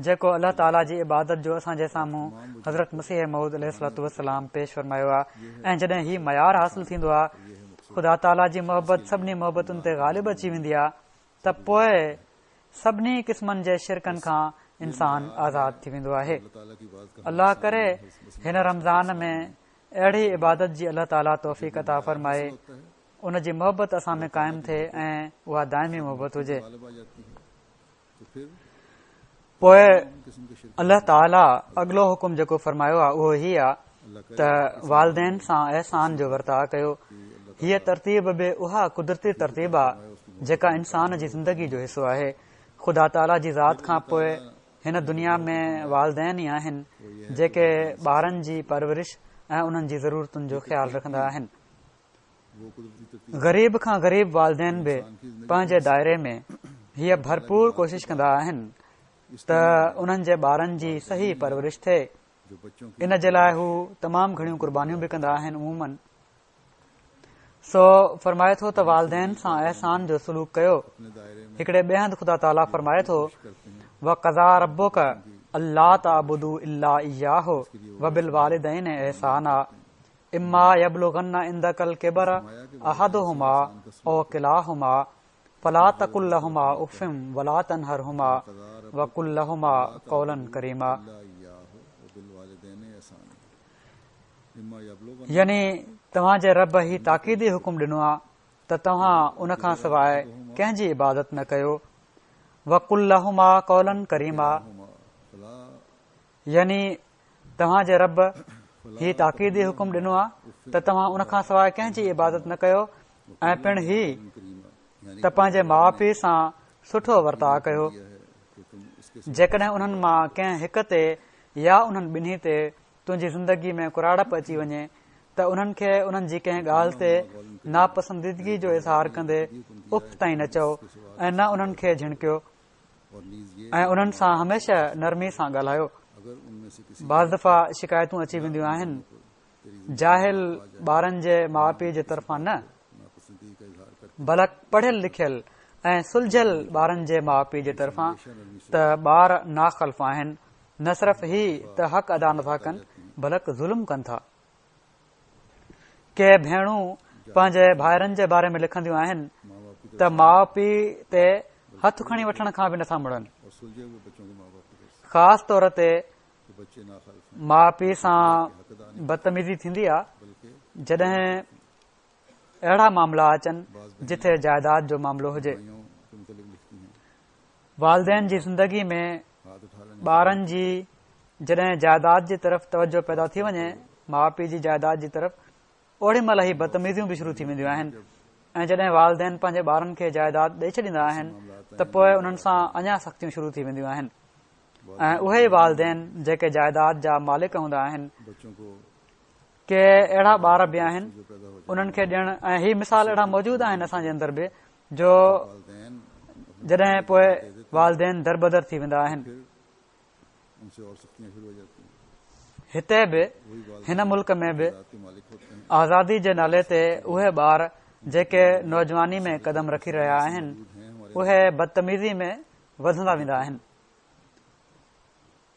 جيڪو الله تعاليٰ جي عبادت جو اسان جي سامهون حضرت مسيح موعود عليه الصلوة والسلام پيش فرمايو آ ۽ جڏهن هي معيار حاصل ٿيندو آ خدا تعاليٰ جي محبت سڀني محبتن تي غالب اچي ويندي آ ته پوء سڀني قسمن جي شرڪن کان انسان آزاد ٿي ويندو آهي. الله ڪري هن رمضان ۾ اهڙي عبادت جي الله تعاليٰ توفيق عطا فرمائي. ان جي محبت اسان ۾ قائم ٿئي ۽ اها دائمي محبت هجي. پوء الله تعاليٰ اڳلو حڪم جيڪو فرمايو آهي اهو هي آهي ته والدين سان احسان جو ورتاء ڪيو. هيء ترتيب به اها قدرتي ترتيب آهي جيڪا انسان جي زندگي جو حصو آهي. خدا تعاليٰ جي ذات کان پوء هن دنيا ۾ والدين ئي آهن جيڪي ٻارن جي پرورش ۽ انهن جي ضرورتن جو خيال رکندا آهن. غريب کان غريب والدين به پنهنجي دائري ۾ هيء ڀرپور ڪوشش ڪندا آهن ته انهن جي ٻارن جي صحيح پرورش ٿئي ان جي لاء هو تمام گهڻيون قربانيون به ڪندا آهن عموماً سو فرمائي ٿو ته والدين سان احسان جو سلوڪ ڪيو هڪڙي ٻئي هنڌ خدا تعاليٰ فرمائي ٿو وقضيٰ ربڪ الا تعبدوا الا اياه وبالوالدين احسانا اما يبلغن عندک الڪبر احدهما او ڪلاهما فلا تقل لهما اف ولا تنهرهما وقل لهما قولا ڪريما يعني توهان جي رب هي تاڪيدي حڪم ڏنو آهي ته توهان ان کان سواء ڪنهن جي عبادت نه ڪيو وقل لهما قولا ڪريما يعني توهان جي رب هي تاڪيدي حڪم ڏنو آهي ته توهان ان کان سواء ڪنهن جي عبادت نه ڪيو ۽ پڻ هي ته پنهنجي ماء پيء سان سٺو ورتاء ڪيو جيڪڏهن انهن مان ڪنهن هڪ تي يا انهن ٻنهي تي تنهنجي زندگي ۾ ڪراڙپ اچي وڃي ته انهن کي انهن جي ڪنهن ڳالهه تي ناپسنديدگي جو اظهار ڪندي اف تائين نه چئو ۽ نه انهن کي جهڻڪيو ۽ انهن سان هميشه نرمي سان ڳالهايو. بعض دفعا شڪايتون اچي وينديون آهن، جاهل ٻارن جي ماء پيء جي طرفان نه، بلڪ پڙهيل لکيل ۽ سلجهيل ٻارن جي ماء پيء جي طرفان ته ٻار ناخلف آهن، نه صرف هي ته حق ادا نٿا ڪن، بلڪ ظلم ڪن ٿا. ڪي ڀيڻون پنهنجي ڀائرن جي باري ۾ لکنديون آهن ته ماء پيء تي هٿ کڻي وٺڻ کان به نٿا مڙن. خاص طور تي ماء پيء سان بدتميزي ٿيندي آ جڏهن اهڙا معاملا اچن جتي جائيداد جو معاملو هجي. والدين جي زندگي ۾ ٻارن جي جڏهن جائيداد جي طرف توجه پيدا ٿي وڃي ماء پيء جي جائيداد جي طرف اوڏي مهل هي بدتميزيون به شروع ٿي وينديون آهن ۽ جڏهن والدين پنهنجي ٻارن کي جائيداد ڏئي ڇڏيندا آهن ته پوء انهن سان اڃا سختيون شروع ٿي وينديون آهن ۽ اهي ئي والدين جيڪي جائيداد جا مالڪ هوندا آهن ڪي اهڙا ٻار به آهن انهن کي ڏيڻ ۽ هي مثال اهڙا موجود آهن اسان جي اندر به جو جڏهن پوء والدين دربدر ٿي ويندا آهن هتي به هن ملڪ ۾ به آزادي جي نالي تي اهي ٻار جيڪي نوجواني ۾ قدم رکي رهيا آهن اهي بدتميزي ۾ وڌندا ويندا آهن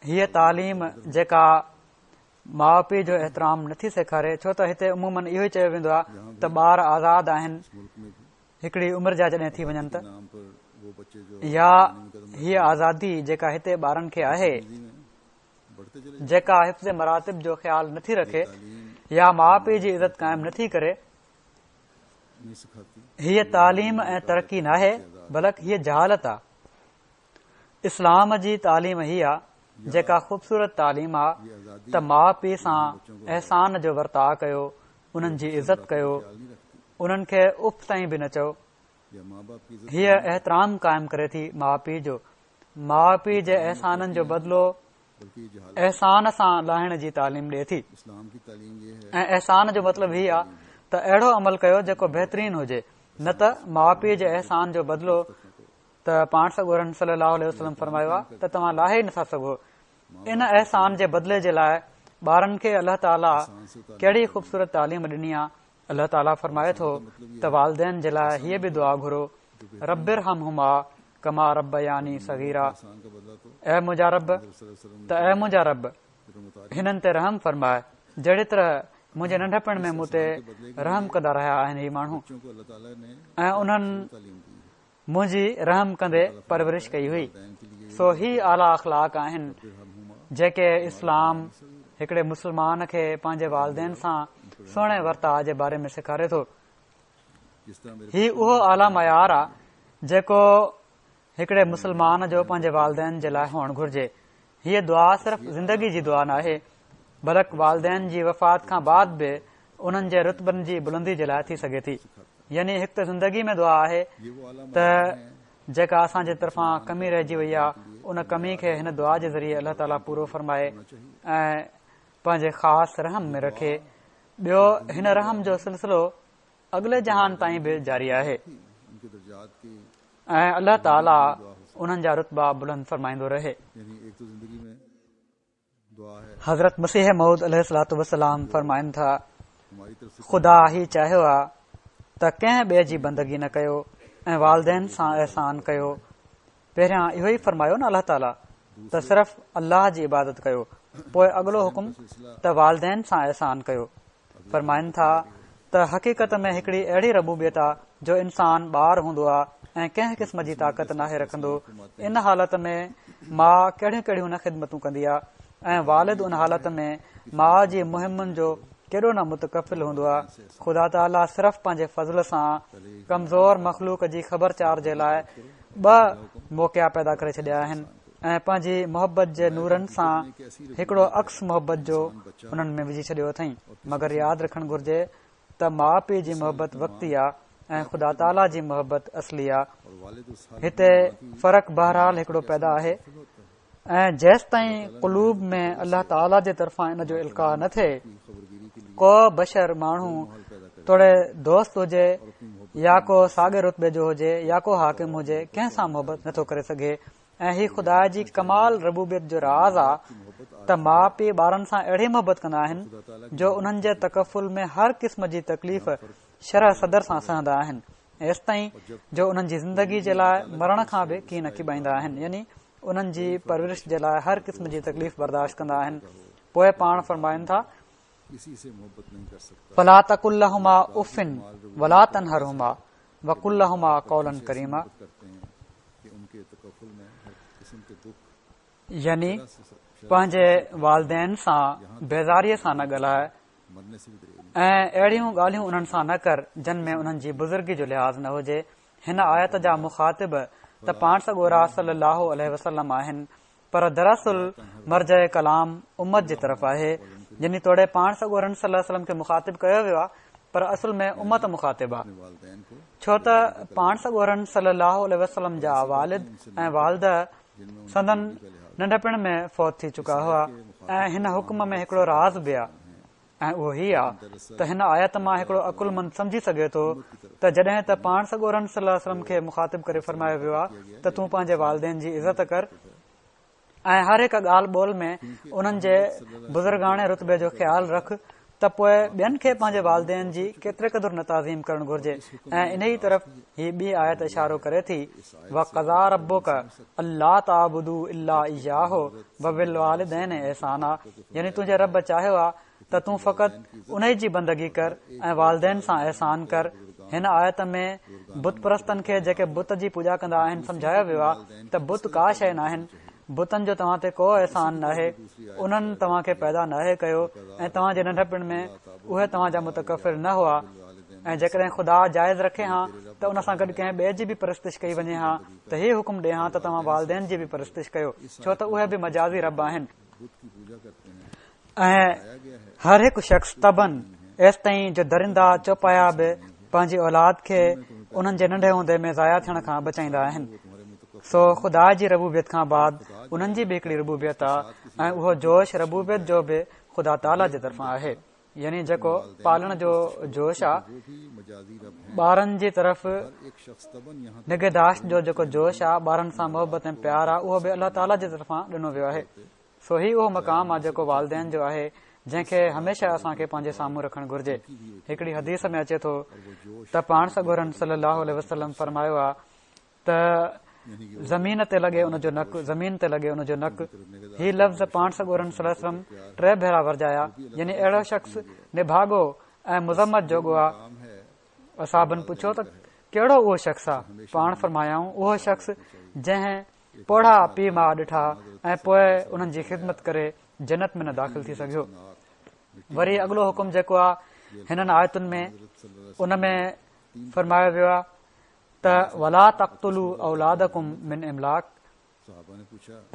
هيء تعليم جيڪا ماء پيء جو احترام نٿي سيکاري ڇو ته هتي عموماً اهو ئي چيو ويندو آهي ته ٻار آزاد آهن هڪڙي عمر جا جڏهن ٿي وڃن ته يا هيء آزادي جيڪا هتي ٻارن کي آهي جيڪا حفظ مراتب جو خيال نٿي رکي يا ماء پيء جي عزت قائم نٿي ڪري هيء تعليم ۽ ترقي ناهي بلڪ هيء جهالت آهي اسلام جي تعليم هي آ جيڪا خوبصورت تعليم آ ته ماء پيء سان احسان جو ورتاء ڪيو، انهن جي عزت ڪيو، انهن کي اف تائين به نه چئو. هيء احترام قائم ڪري ٿي ماء پيء جو. ماء پيء جي احسانن جو بدلو احسان سان لاهڻ جي تعليم ڏئي ٿي ۽ احسان جو مطلب هي آ ته اهڙو عمل ڪيو جيڪو بهترين هجي نه ته ماء پيء جي احسان جو بدلو ته پاڻ سڳورن صلي الله عليه وسلم فرمايو آهي ته توهان لاهي ئي نٿا سگهو ان احسان جي بدلي جي لاء ٻارن کي الله تعاليٰ ڪهڙي خوبصورت تعليم ڏني آهي الله تعاليٰ فرمائي ٿو ته والدين جي لاء هيء به دعا گهرو رب ارحمهما ڪما ربياني صغيرا اي منهنجا رب ته اي منهنجا رب هنن تي رحم فرماء جهڙي طرح منهنجي ننڍپڻ ۾ مون تي رحم ڪندا رهيا آهن هي ماڻهو ۽ انهن منهنجي رحم ڪندي پرورش ڪئي هئي سو هي اعليٰ اخلاق آهن جيڪي اسلام هڪڙي مسلمان کي پنهنجي والدين سان سهڻي ورتاء جي باري ۾ سيکاري ٿو هي اهو اعليٰ معيار آ جيڪو هڪڙي مسلمان جو پنهنجي والدين جي لاء هئڻ گهرجي هيء دعا صرف زندگي جي دعا ناهي بلڪ والدين جي وفات کان بعد به انهن جي رتبن جي بلندي جي لاء ٿي سگهي ٿي يعني هڪ ته زندگي ۾ دعا آهي ته جيڪا اسان جي طرفان ڪمي رهجي وئي آهي ان ڪمي کي هن دعا جي ذريعي الله تعاليٰ پورو فرمائي ۽ پنهنجي خاص رحم ۾ رکي ٻيو هن رحم جو سلسلو اڳلي جهان تائين به جاري آهي ۽ الله تعاليٰ انهن جا رتبا بلند فرمائيندو رهي. حضرت مسيح موعود عليه الصلوة والسلام فرمائن ٿا، خدا هي چاهيو آ ته ڪنهن ٻئي جي بندگي نه ڪيو ۽ والدين سان احسان ڪيو. پهريان اهو ئي فرمايو نه الله تعاليٰ ته صرف الله جي عبادت ڪيو پوء اڳلو حڪم ته والدين سان احسان ڪيو. فرمائن ٿا ته حقيقت ۾ هڪڙي اهڙي ربوبيت آ جو انسان ٻار هوندو آ ۽ ڪنهن قسم جي طاقت ناهي رکندو ان حالت ۾ ماء ڪهڙيون ڪهڙيون نه خدمتون ڪندي آ ۽ والد ان حالت ۾ ماء جي مهمن جو ڪيڏو نه متڪفل هوندو آ خدا تعاليٰ صرف پنهنجي فضل سان ڪمزور مخلوق جي خبرچار جي لاء ٻه موقعا پيدا ڪري ڇڏيا آهن ۽ پنهنجي محبت جي نورن سان هڪڙو عڪس محبت جو انهن ۾ وجهي ڇڏيو اٿئين مگر ياد رکڻ گهرجي ته ماء پيء جي محبت وقتي آ ۽ خدا تعاليٰ جي محبت اصلي آ هتي فرق بهرحال هڪڙو پيدا آهي ۽ جيستائين قلوب ۾ الله تعاليٰ جي طرفان ان جو القاء نه ٿئي ڪو بشر ماڻهو توڙي دوست هجي يا ڪو ساڳي رتبي جو هجي يا ڪو حاڪم هجي ڪنهن سان محبت نٿو ڪري سگهي ۽ هي خدا جي ڪمال ربوبيت جو راز آ ته ماء پيء ٻارن سان اهڙي محبت ڪندا آهن جو انهن جي تڪفل ۾ هر قسم جي تڪليف شرح صدر سان سهندا آهن ايستائين جو انهن جي زندگي جي لاء مرڻ کان به ڪين ڪيٻائيندا آهن يعني انهن جي پرورش جي لاء هر قسم جي تڪليف برداشت ڪندا آهن پوء پاڻ فرمائن ٿا فلا تقل لهما اف ولا تنهرهما وقل لهما قولا ڪريما يعني پنهنجي والدين سان بيزاريء سان نه ڳالهاء ۽ اهڙيون ڳالهيون انهن سان نه ڪر جن ۾ انهن جي بزرگي جو لحاظ نه هجي. هن آيت جا مخاطب ته پاڻ سڳورا صلّي اللّٰه عليه وسلّم آهن پر دراصل مرجع ڪلام امت جي طرف آهي يعني توڙي پاڻ سڳورن صلّي اللّٰه عليه وسلّم کي مخاطب ڪيو ويو آهي پر اصل ۾ امت مخاطب آهي ڇو ته پاڻ سڳورن صلّي اللّٰه عليه وسلّم جا والد ۽ والده سندن ننڍپڻ ۾ فوت ٿي چڪا هئا ۽ هن حڪم ۾ هڪڙو راز به آ ۽ اهو هي آ ته هن آيت مان هڪڙو عقلمند سمجهي سگهي ٿو ته جڏهن ته پاڻ سڳورن صلي الله عليه وسلم کي مخاطب ڪري فرمايو ويو آ ته تون پنهنجي والدين جي عزت ڪر ۽ هر هڪ ڳالهه ٻولهه ۾ انهن جي بزرگاڻي رتبي جو خيال رک ته پوء ٻين کي پنهنجي والدين جي ڪيتري قدر نه تعظيم ڪرڻ گهرجي ۽ انهي طرف هي ٻي آيت اشارو ڪري ٿي وقضيٰ ربڪ الا تعبدوا الا اياه وبالوالدين احسانا يعني تنهنجي رب چاهيو آ ته تون فقط انهي جي بندگي ڪر ۽ والدين سان احسان ڪر هن آيت ۾ بت پرستن کي جيڪي بت جي پوڄا ڪندا آهن سمجهايو ويو آ ته بت ڪا شيء ناهن بتن جو توهان تي ڪو احسان ناهي، انهن توهان کي پيدا ناهي ڪيو ۽ توهان جي ننڍپڻ ۾ اهي توهان جا متڪفل نه هئا ۽ جيڪڏهن خدا جائز رکي هان ته ان سان گڏ ڪنهن ٻئي جي به پرستش ڪئي وڃي ها ته هي حڪم ڏي هان ته توهان والدين جي به پرستش ڪيو ڇو ته اهي به مجازي رب آهن. ۽ هر هڪ شخص طبعاً ايستائين جو درندا چوپايا به پنهنجي اولاد کي انهن جي ننڍي هوندي ۾ ضايع ٿيڻ کان بچائيندا آهن سو خدا جي ربوبيت کان بعد انهن جي به هڪڙي ربوبيت آ ۽ اهو جوش ربوبيت جو به خدا تعاليٰ جي طرفان آهي يعني جيڪو پالڻ جو جوش آ ٻارن جي طرف نگهداشت جو جيڪو جوش آ ٻارن سان محبت ۽ پيار آ اهو به الله تعاليٰ جي طرفان ڏنو ويو آهي سو هي اهو مقام آ جيڪو والدين جو آهي جنهن کي هميشه اسان کي پنهنجي سامهون رکڻ گهرجي. هڪڙي حديث ۾ اچي ٿو ته پاڻ سڳورن صلي الله عليه وسلم فرمايو آ ته زمين تي لڳي ان جو نڪ زمين تي لڳي ان جو نڪ هي لفظ پاڻ سڳورن صلي الله عليه وسلم ٽي ڀيرا ورجايا يعني اهڙو شخص نڀاڳو ۽ مذمت جوڳو آ اصحابن پڇيو ته ڪهڙو اهو شخص آ پاڻ فرمايائون اهو شخص جنهن پوڙها پيء ماء ڏٺا ۽ پوء انهن جي خدمت ڪري جنت ۾ نه داخل ٿي سگهيو. وري اڳلو حڪم جيڪو آ هنن آيتن ۾ ان ۾ فرمايو ويو آ ته ولا تقتلوا اولادڪم من املاق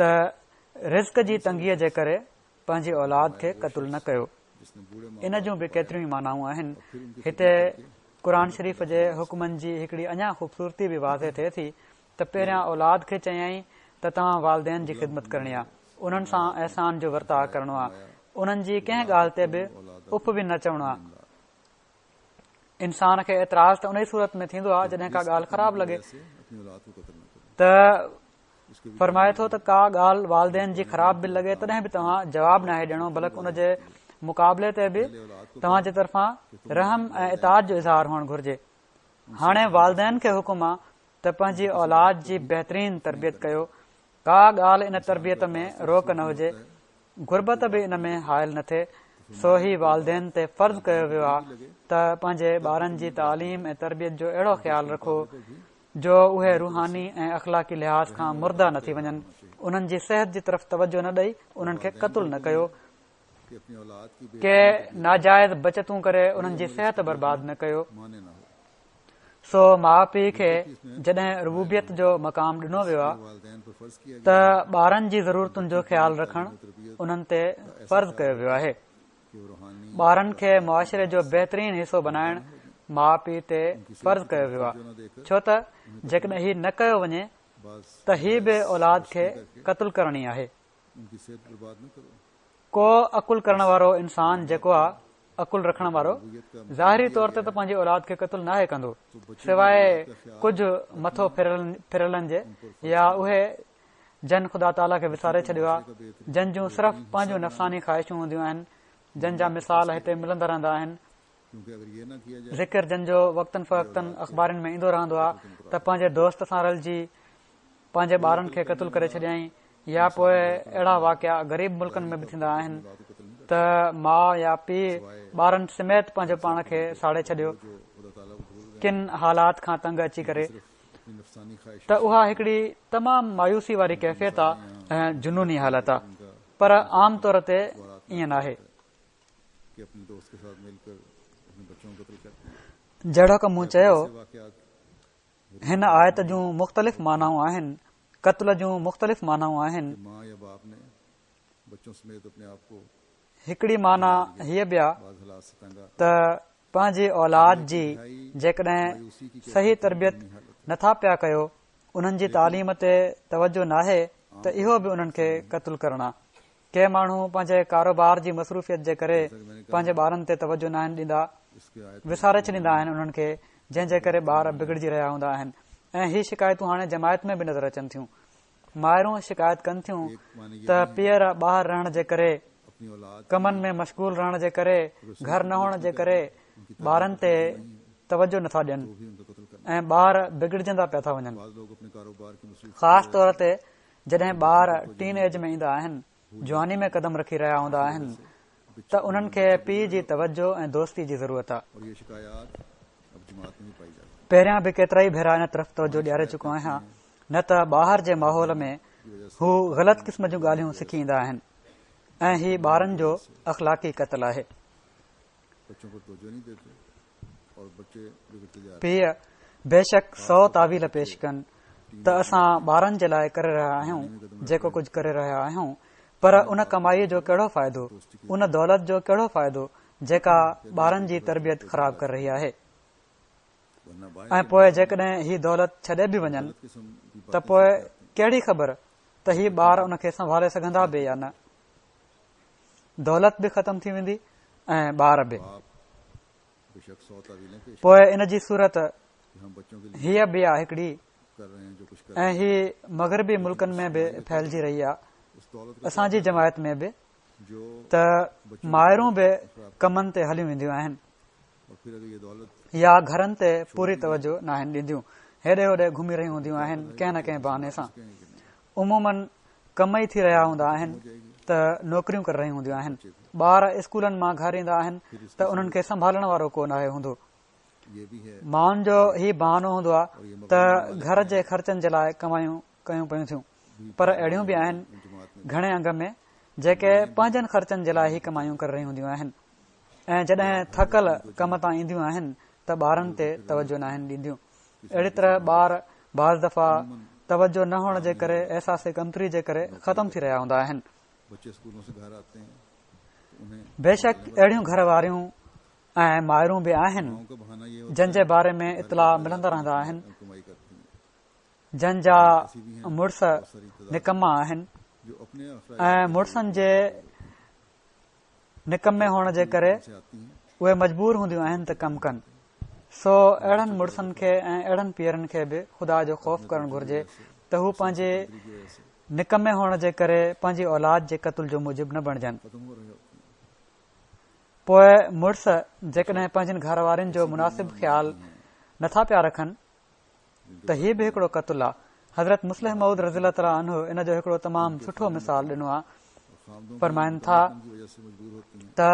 ته رزق جي تنگيء جي ڪري پنهنجي اولاد کي قتل نه ڪيو. ان جون به ڪيتريون ئي معنائون آهن. هتي قرآن شريف جي حڪمن جي هڪڙي اڃا خوبصورتي به واضح ٿئي ٿي ته پهريان اولاد کي چيائين ته توهان والدين جي خدمت ڪرڻي آ، انهن سان احسان جو ورتاء ڪرڻو آ، انهن جي ڪنهن ڳالهه تي به اف به نه چوڻو آ. انسان کي اعتراض ته انهي صورت ۾ ٿيندو آ جڏهن ڪا ڳالهه خراب لڳي ته فرمائي ٿو ته ڪا ڳالهه والدين جي خراب به لڳي تڏهن به توهان جواب ناهي ڏيڻو بلڪ ان جي مقابلي تي به توهان جي طرفان رحم ۽ اطاعت جو اظهار هئڻ گهرجي. هاڻي والدين کي حڪم آ ته پنهنجي اولاد جي بهترين تربيت ڪيو، ڪا ڳالهه ان تربيت ۾ روڪ نه هجي، غربت به ان ۾ حائل نه ٿئي، سو هي والدين تي فرض ڪيو ويو آ ته پنهنجي ٻارن جي تعليم ۽ تربيت جو اهڙو خيال رکو جو اهي روحاني ۽ اخلاقي لحاظ کان مرده نه ٿي وڃن، انهن جي صحت جي طرف توجه نه ڏئي انهن کي قتل نه ڪيو، ڪي ناجائز بچتون ڪري انهن جي صحت برباد نه ڪيو. سو ماء پيء کي جڏهن ربوبيت جو مقام ڏنو ويو آهي ته ٻارن جي ضرورتن جو خيال رکڻ انهن تي فرض ڪيو ويو آهي. ٻارن کي معاشري جو بهترين حصو بنائڻ ماء پيء تي فرض ڪيو ويو آهي ڇو ته جيڪڏهن هي نه ڪيو وڃي ته هي به اولاد کي قتل ڪرڻ ئي آهي. ڪو عقل ڪرڻ وارو انسان جيڪو آ عقل رکڻ وارو ظاهري طور تي ته پنهنجي اولاد کي قتل ناهي ڪندو سواء ڪجهه مٿو ڦريلن جي يا اهي جن خدا تعاليٰ کي وساري ڇڏيو آ جن جون صرف پنهنجون نفساني خواهشون هونديون آهن جن جا مثال هتي ملندا رهندا آهن ذڪر جن جو وقتن فوقتن اخبارن ۾ ايندو رهندو آ ته پنهنجي دوست سان رلجي پنهنجي ٻارن کي قتل ڪري ڇڏيائين يا پوء اهڙا واقعا غريب ملڪن ۾ به ٿيندا آهن ته ماء يا پيء ٻارن سميت پنهنجو پاڻ کي ساڙي ڇڏيو ڪن حالات کان تنگ اچي ڪري ته اها هڪڙي تمام مايوسي واري ڪيفيت آ ۽ جنوني حالت آ. پر عام طور تي ائين ناهي. جهڙوڪ مون چيو، هن آيت جون مختلف معنائون آهن، قتل جون مختلف معنائون آهن. هڪڙي معنيٰ هيء به آ ته پنهنجي اولاد جي جيڪڏهن صحيح تربيت نٿا پيا ڪيو، انهن جي تعليم تي توجه ناهي ته اهو به انهن کي قتل ڪرڻ آ. ڪي ماڻهو پنهنجي ڪاروبار جي مصروفيت جي ڪري پنهنجي ٻارن تي توجه ناهن ڏيندا، وساري ڇڏيندا آهن انهن کي جنهن جي ڪري ٻار بگڙجي رهيا هوندا آهن ۽ هي شڪايتون هاڻي جماعت ۾ به نظر اچن ٿيون. مائرون شڪايت ڪن ٿيون ته پيئر ٻاهر رهڻ جي ڪري، ڪمن ۾ مشغول رهڻ جي ڪري، گهر نه هئڻ جي ڪري ٻارن تي توجه نٿا ڏين ۽ ٻار بگڙجندا پيا ٿا وڃن. خاص طور تي جڏهن ٻار ٽين ايج ۾ ايندا آهن، جواني ۾ قدم رکي رهيا هوندا آهن ته انهن کي پيء جي توجه ۽ دوستي جي ضرورت آهي. پهريان به ڪيترائي ڀيرا ان طرف توجه ڏياري چڪو آهيان نه ته ٻاهر جي ماحول ۾ هو غلط قسم جون ڳالهيون سکي ايندا آهن ۽ هي ٻارن جو اخلاقي قتل آهي. پيء بيشڪ سو تاويل پيش ڪن ته اسان ٻارن جي لاء ڪري رهيا آهيون جيڪو ڪجهه ڪري رهيا آهيون پر ان ڪمائي جو ڪهڙو فائدو ان دولت جو ڪهڙو فائدو جيڪا ٻارن جي تربيت خراب ڪري رهي آهي. ۽ پوء جيڪڏهن هي دولت ڇڏي به وڃن ته پوء ڪهڙي خبر ته هي ٻار ان کي سنڀالي سگهندا به يا نه. دولت به ختم ٿي ويندي ۽ ٻار به. پوء ان جي صورت هيء به آ هڪڙي ۽ هي مغربي ملڪن ۾ به ڦهلجي رهي آ اسان جي جماعت ۾ به ته مائرون به ڪمن تي هليون وينديون آهن. يا گهرن تي پوري توجه ناهن ڏينديون هيڏي هوڏي گهمي رهيون هونديون آهن ڪنهن نه ڪنهن بهاني سان عموماً ڪم ئي ٿي رهيا هوندا آهن ته نوڪريون ڪري رهيون هونديون آهن ٻار اسڪولن مان گهر ايندا آهن ته انهن کي سنڀالڻ وارو ڪو ناهي هوندو مائن جو هي بهانو هوندو آهي ته گهر جي خرچن جي لاء ڪمايون ڪيون پيون ٿيون پر اهڙيون به آهن گهڻي انگ ۾ جيڪي پنهنجن خرچن جي لاء هي ڪمايون ڪري رهيون هونديون آهن ۽ جڏهن ٿڪل ڪم تان اينديون آهن ته ٻارن تي توجه ناهن ڏينديون اهڙي طرح ٻار بعض دفعا توجه نه هئڻ جي ڪري احساس ڪمتري جي ڪري ختم ٿي رهيا هوندا آهن بيشڪ اهڙيون گهر واريون ۽ مائرون به آهن جن جي باري ۾ اطلاع ملندا رهندا آهن جن جا مڙس نڪما آهن ۽ مڙسن جي نڪمي هئڻ جي ڪري اهي مجبور هونديون آهن ته ڪم ڪن سو اهڙن مڙسن کي ۽ اهڙن پيئرن کي به خدا جو خوف ڪرڻ گهرجي ته هو پنهنجي نڪمي هئڻ جي ڪري پنهنجي اولاد جي قتل جو موجب نه بڻجن پوء مڙس جيڪڏهن پنهنجن گهر وارين جو مناسب خيال نٿا پيا رکن ته هي به هڪڙو قتل آ. حضرت مصلح موعود رضي الله تعالٰي عنه ان جو هڪڙو تمام سٺو مثال ڏنو آ. فرمائن ٿا ته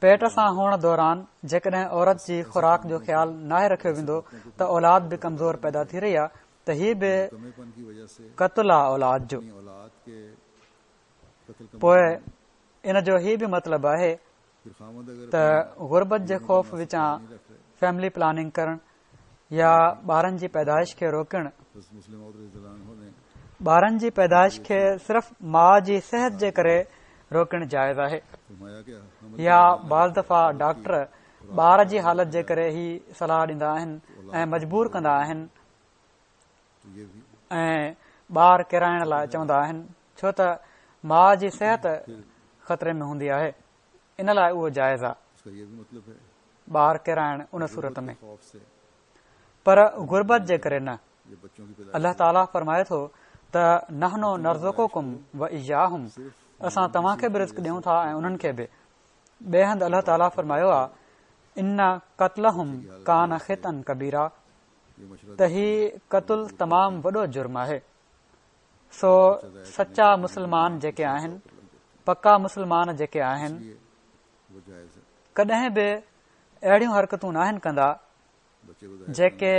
پيٽ سان هئڻ دوران جيڪڏهن عورت جي خوراڪ جو خيال ناهي رکيو ويندو ته اولاد به ڪمزور پيدا ٿي رهي آ ته هي به قتل آ اولاد جو. پوء ان جو هي به مطلب آهي ته غربت جي خوف وچان فيملي پلاننگ ڪرڻ يا ٻارن جي پيدائش کي روڪڻ ٻارن جي پيدائش کي صرف ماء جي صحت جي ڪري روڪڻ جائز آهي يا بعض دفعا ڊاڪٽر ٻار جي حالت جي ڪري هي صلاح ڏيندا آهن ۽ مجبور ڪندا آهن ۽ ٻار ڪيرائڻ لاء چوندا آهن ڇو ته ماء جي صحت خطري ۾ هوندي آهي ان لاء اهو جائز آهي ٻار ڪيرائڻ ان صورت ۾ پر غربت جي ڪري نه الله تعاليٰ فرمائي ٿو ته نحن نرزقڪم و اياهم اسان توهان کي به رزق ڏيون ٿا ۽ انهن کي به ٻئي هنڌ الله تعاليٰ فرمايو آهي ان قتلهم ڪان خطا ڪبيرا ته هي قتل تمام وڏو جرم آهي سو سچا مسلمان جيڪي آهن پڪا مسلمان جيڪي آهن ڪڏهن به اهڙيون حرڪتون ناهن ڪندا جيڪي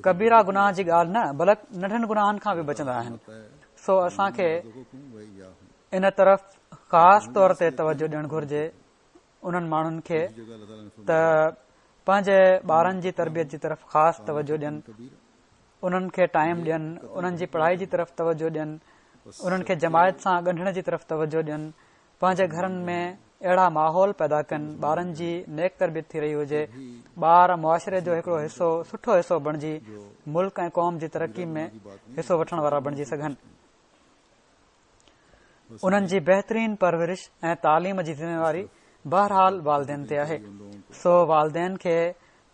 ڪبيرا گناهه جي ڳالهه نه بلڪ ننڍن گناهن کان به بچندا آهن سو اسان کي ان طرف خاص طور تي توجه ڏيڻ گهرجي انهن ماڻهن کي ته پنهنجي ٻارن جي تربيت جي طرف خاص توجه ڏين، انهن کي ٽائيم ڏين، انهن جي پڙهائي جي طرف توجه ڏين، انهن کي جماعت سان ڳنڍڻ جي طرف توجه ڏين، پنهنجي گهرن ۾ اهڙا ماحول پيدا ڪن، ٻارن جي نيڪ تربيت ٿي رهي هجي، ٻار معاشري جو هڪڙو حصو سٺو حصو بڻجي ملڪ ۽ قوم جي ترقي ۾ حصو وٺڻ وارا بڻجي سگهن. انهن جي بهترين پرورش ۽ تعليم جي ذميواري بهرحال والدين تي آهي، سو والدين کي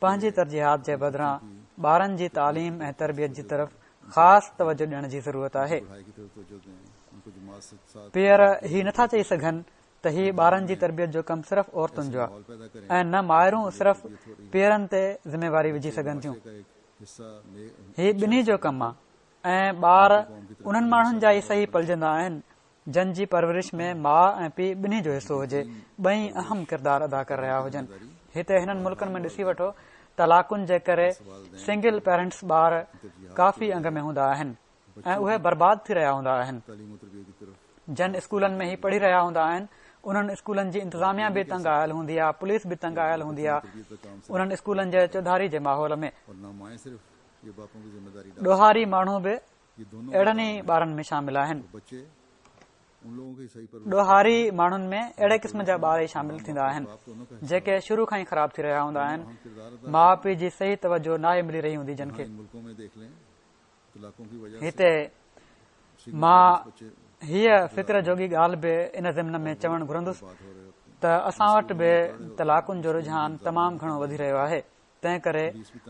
پنهنجي ترجيحات جي بدران ٻارن جي تعليم ۽ تربيت جي طرف خاص توجه ڏيڻ جي ضرورت آهي. پيئر هي نٿا چئي سگهن ته هي ٻارن جي تربيت جو ڪم صرف عورتن جو آهي ۽ نه مائرون صرف پيئرن تي ذميواري وجهي سگهن ٿيون. هي ٻنهي جو ڪم آهي. ۽ ٻار انهن ماڻهن جا ئي صحيح پلجندا آهن جن جي پرورش ۾ ماء ۽ پيء ٻنهي جو حصو هجي، ٻئي اهم ڪردار ادا ڪري رهيا هجن. هتي هنن ملڪن ۾ ڏسي وٺو طلاقن جي ڪري سنگل پيرنٽس ٻار ڪافي انگ ۾ هوندا آهن ۽ اهي برباد ٿي رهيا هوندا آهن. جن اسڪولن ۾ هي پڙهي رهيا هوندا آهن انهن اسڪولن جي انتظاميا به تنگ آيل هوندي آهي، پوليس به تنگ آيل هوندي آهي انهن اسڪولن جي چوڌاري جي ماحول ۾. ڏوهاري ماڻهو به اهڙن ئي ٻارن ۾ شامل آهن. ڏوهاري ماڻهن ۾ اهڙي قسم جا ٻار ئي شامل ٿيندا آهن، جيڪي شروع کان ئي خراب ٿي رهيا هوندا آهن، ماء پيء جي صحيح توجه ناهي ملي رهي هوندي جن کي. هتي مان هيء فڪر جوڳي ڳالهه به ان ضمن ۾ چوڻ گهرندس ته اسان وٽ به طلاقن جو رجحان تمام گهڻو وڌي رهيو آهي. تنهن ڪري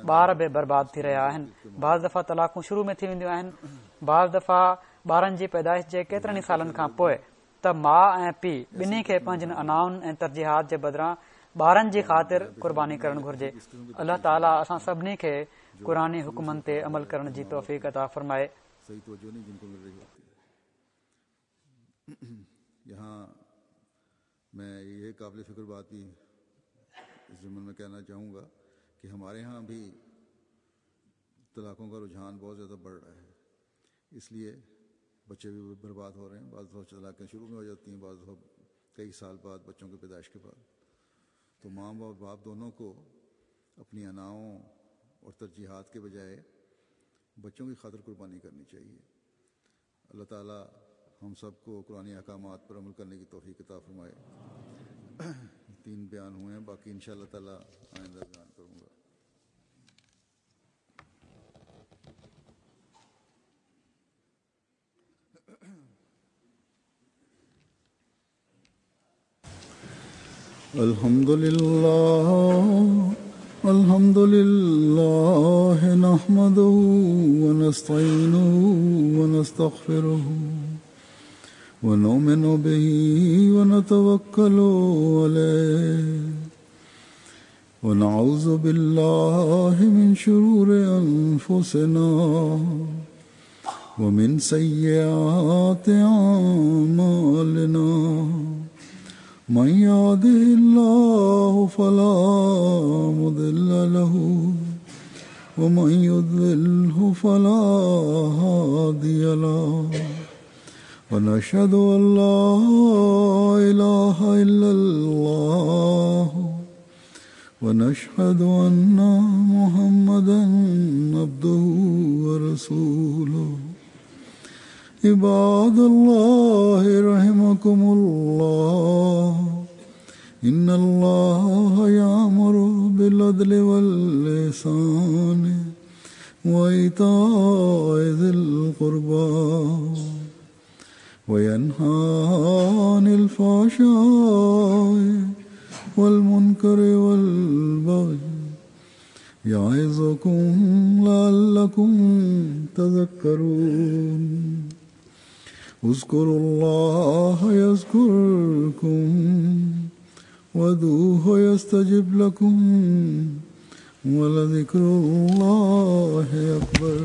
ٻار به برباد ٿي رهيا آهن. بعض دفعا طلاقون شروع ۾ ٿي وينديون آهن، بعض دفعا ٻارن جي پيدائش جي ڪيترن ئي سالن کان پوء ته ماء ۽ پيء ٻنهي کي پنهنجين انائن ۽ ترجيحات جي بدران ٻارن جي خاطر قرباني ڪرڻ گهرجي. الله تعاليٰ اسان سڀني کي قرآني حڪمن تي عمل ڪرڻ جي توفيق عطا فرمائي. मैं ये काबिल फ़िक्र बात भी इस ज़िम्न में कहना चाहूँगा कि हमारे यहाँ भी तलाक़ों का रुझान बहुत ज़्यादा बढ़ रहा है, इसलिए बच्चे भी बर्बाद हो रहे हैं। बाज़ दफ़ा तलाक़ें शुरू में हो जाती हैं, बाज़ दफ़ा कई साल बाद बच्चों की पैदाइश के बाद। तो माँ और बाप दोनों को अपनी अनाओं और तरजीहात के बजाय बच्चों की खातिर कुर्बानी करनी चाहिए। अल्लाह ताला हम सबको कुरानी अहकामात पर अमल करने की तौफीक अता फरमाए। 3 बयान हुए हैं, बाकी इंशाअल्लाह ताला आइंदा बयान करूँगा। अल्हम्दुलिल्लाह नहमदुहू व नस्तईनुहु व नस्तगफिरुहु व नुमिनु बिही व नतवक्कलु अलैहि व नऊज़ु बिल्लाहि मिन शुरूरि अनफुसिना व मिन सय्यिआति अअमालिना। मन यहदिहिल्लाहु फला मुदिल्ल लहु व मन युद्लिलहु फला हादिय लहु। व नशहदु अन ला इलाहा इल्लल्लाह व नशहदु अन्ना मुहम्मदन अब्दुहु व रसूलुहु। इबादल्लाह रहिमकुमुल्लाह। इन्नल्लाह यामुरु बिलअदलि वल इहसान व ईताइ ज़िल क़ुर्बा व यन्हा अनिल फ़हशाइ वल मुनकरि वल बग़ी यइज़ुकुम लअल्लकुम तज़क्करून। उज़्कुरुल्लाह यज़्कुरकुम वदूहु यस्तजिब लकुम वलज़िक्रुल्लाहि अकबर।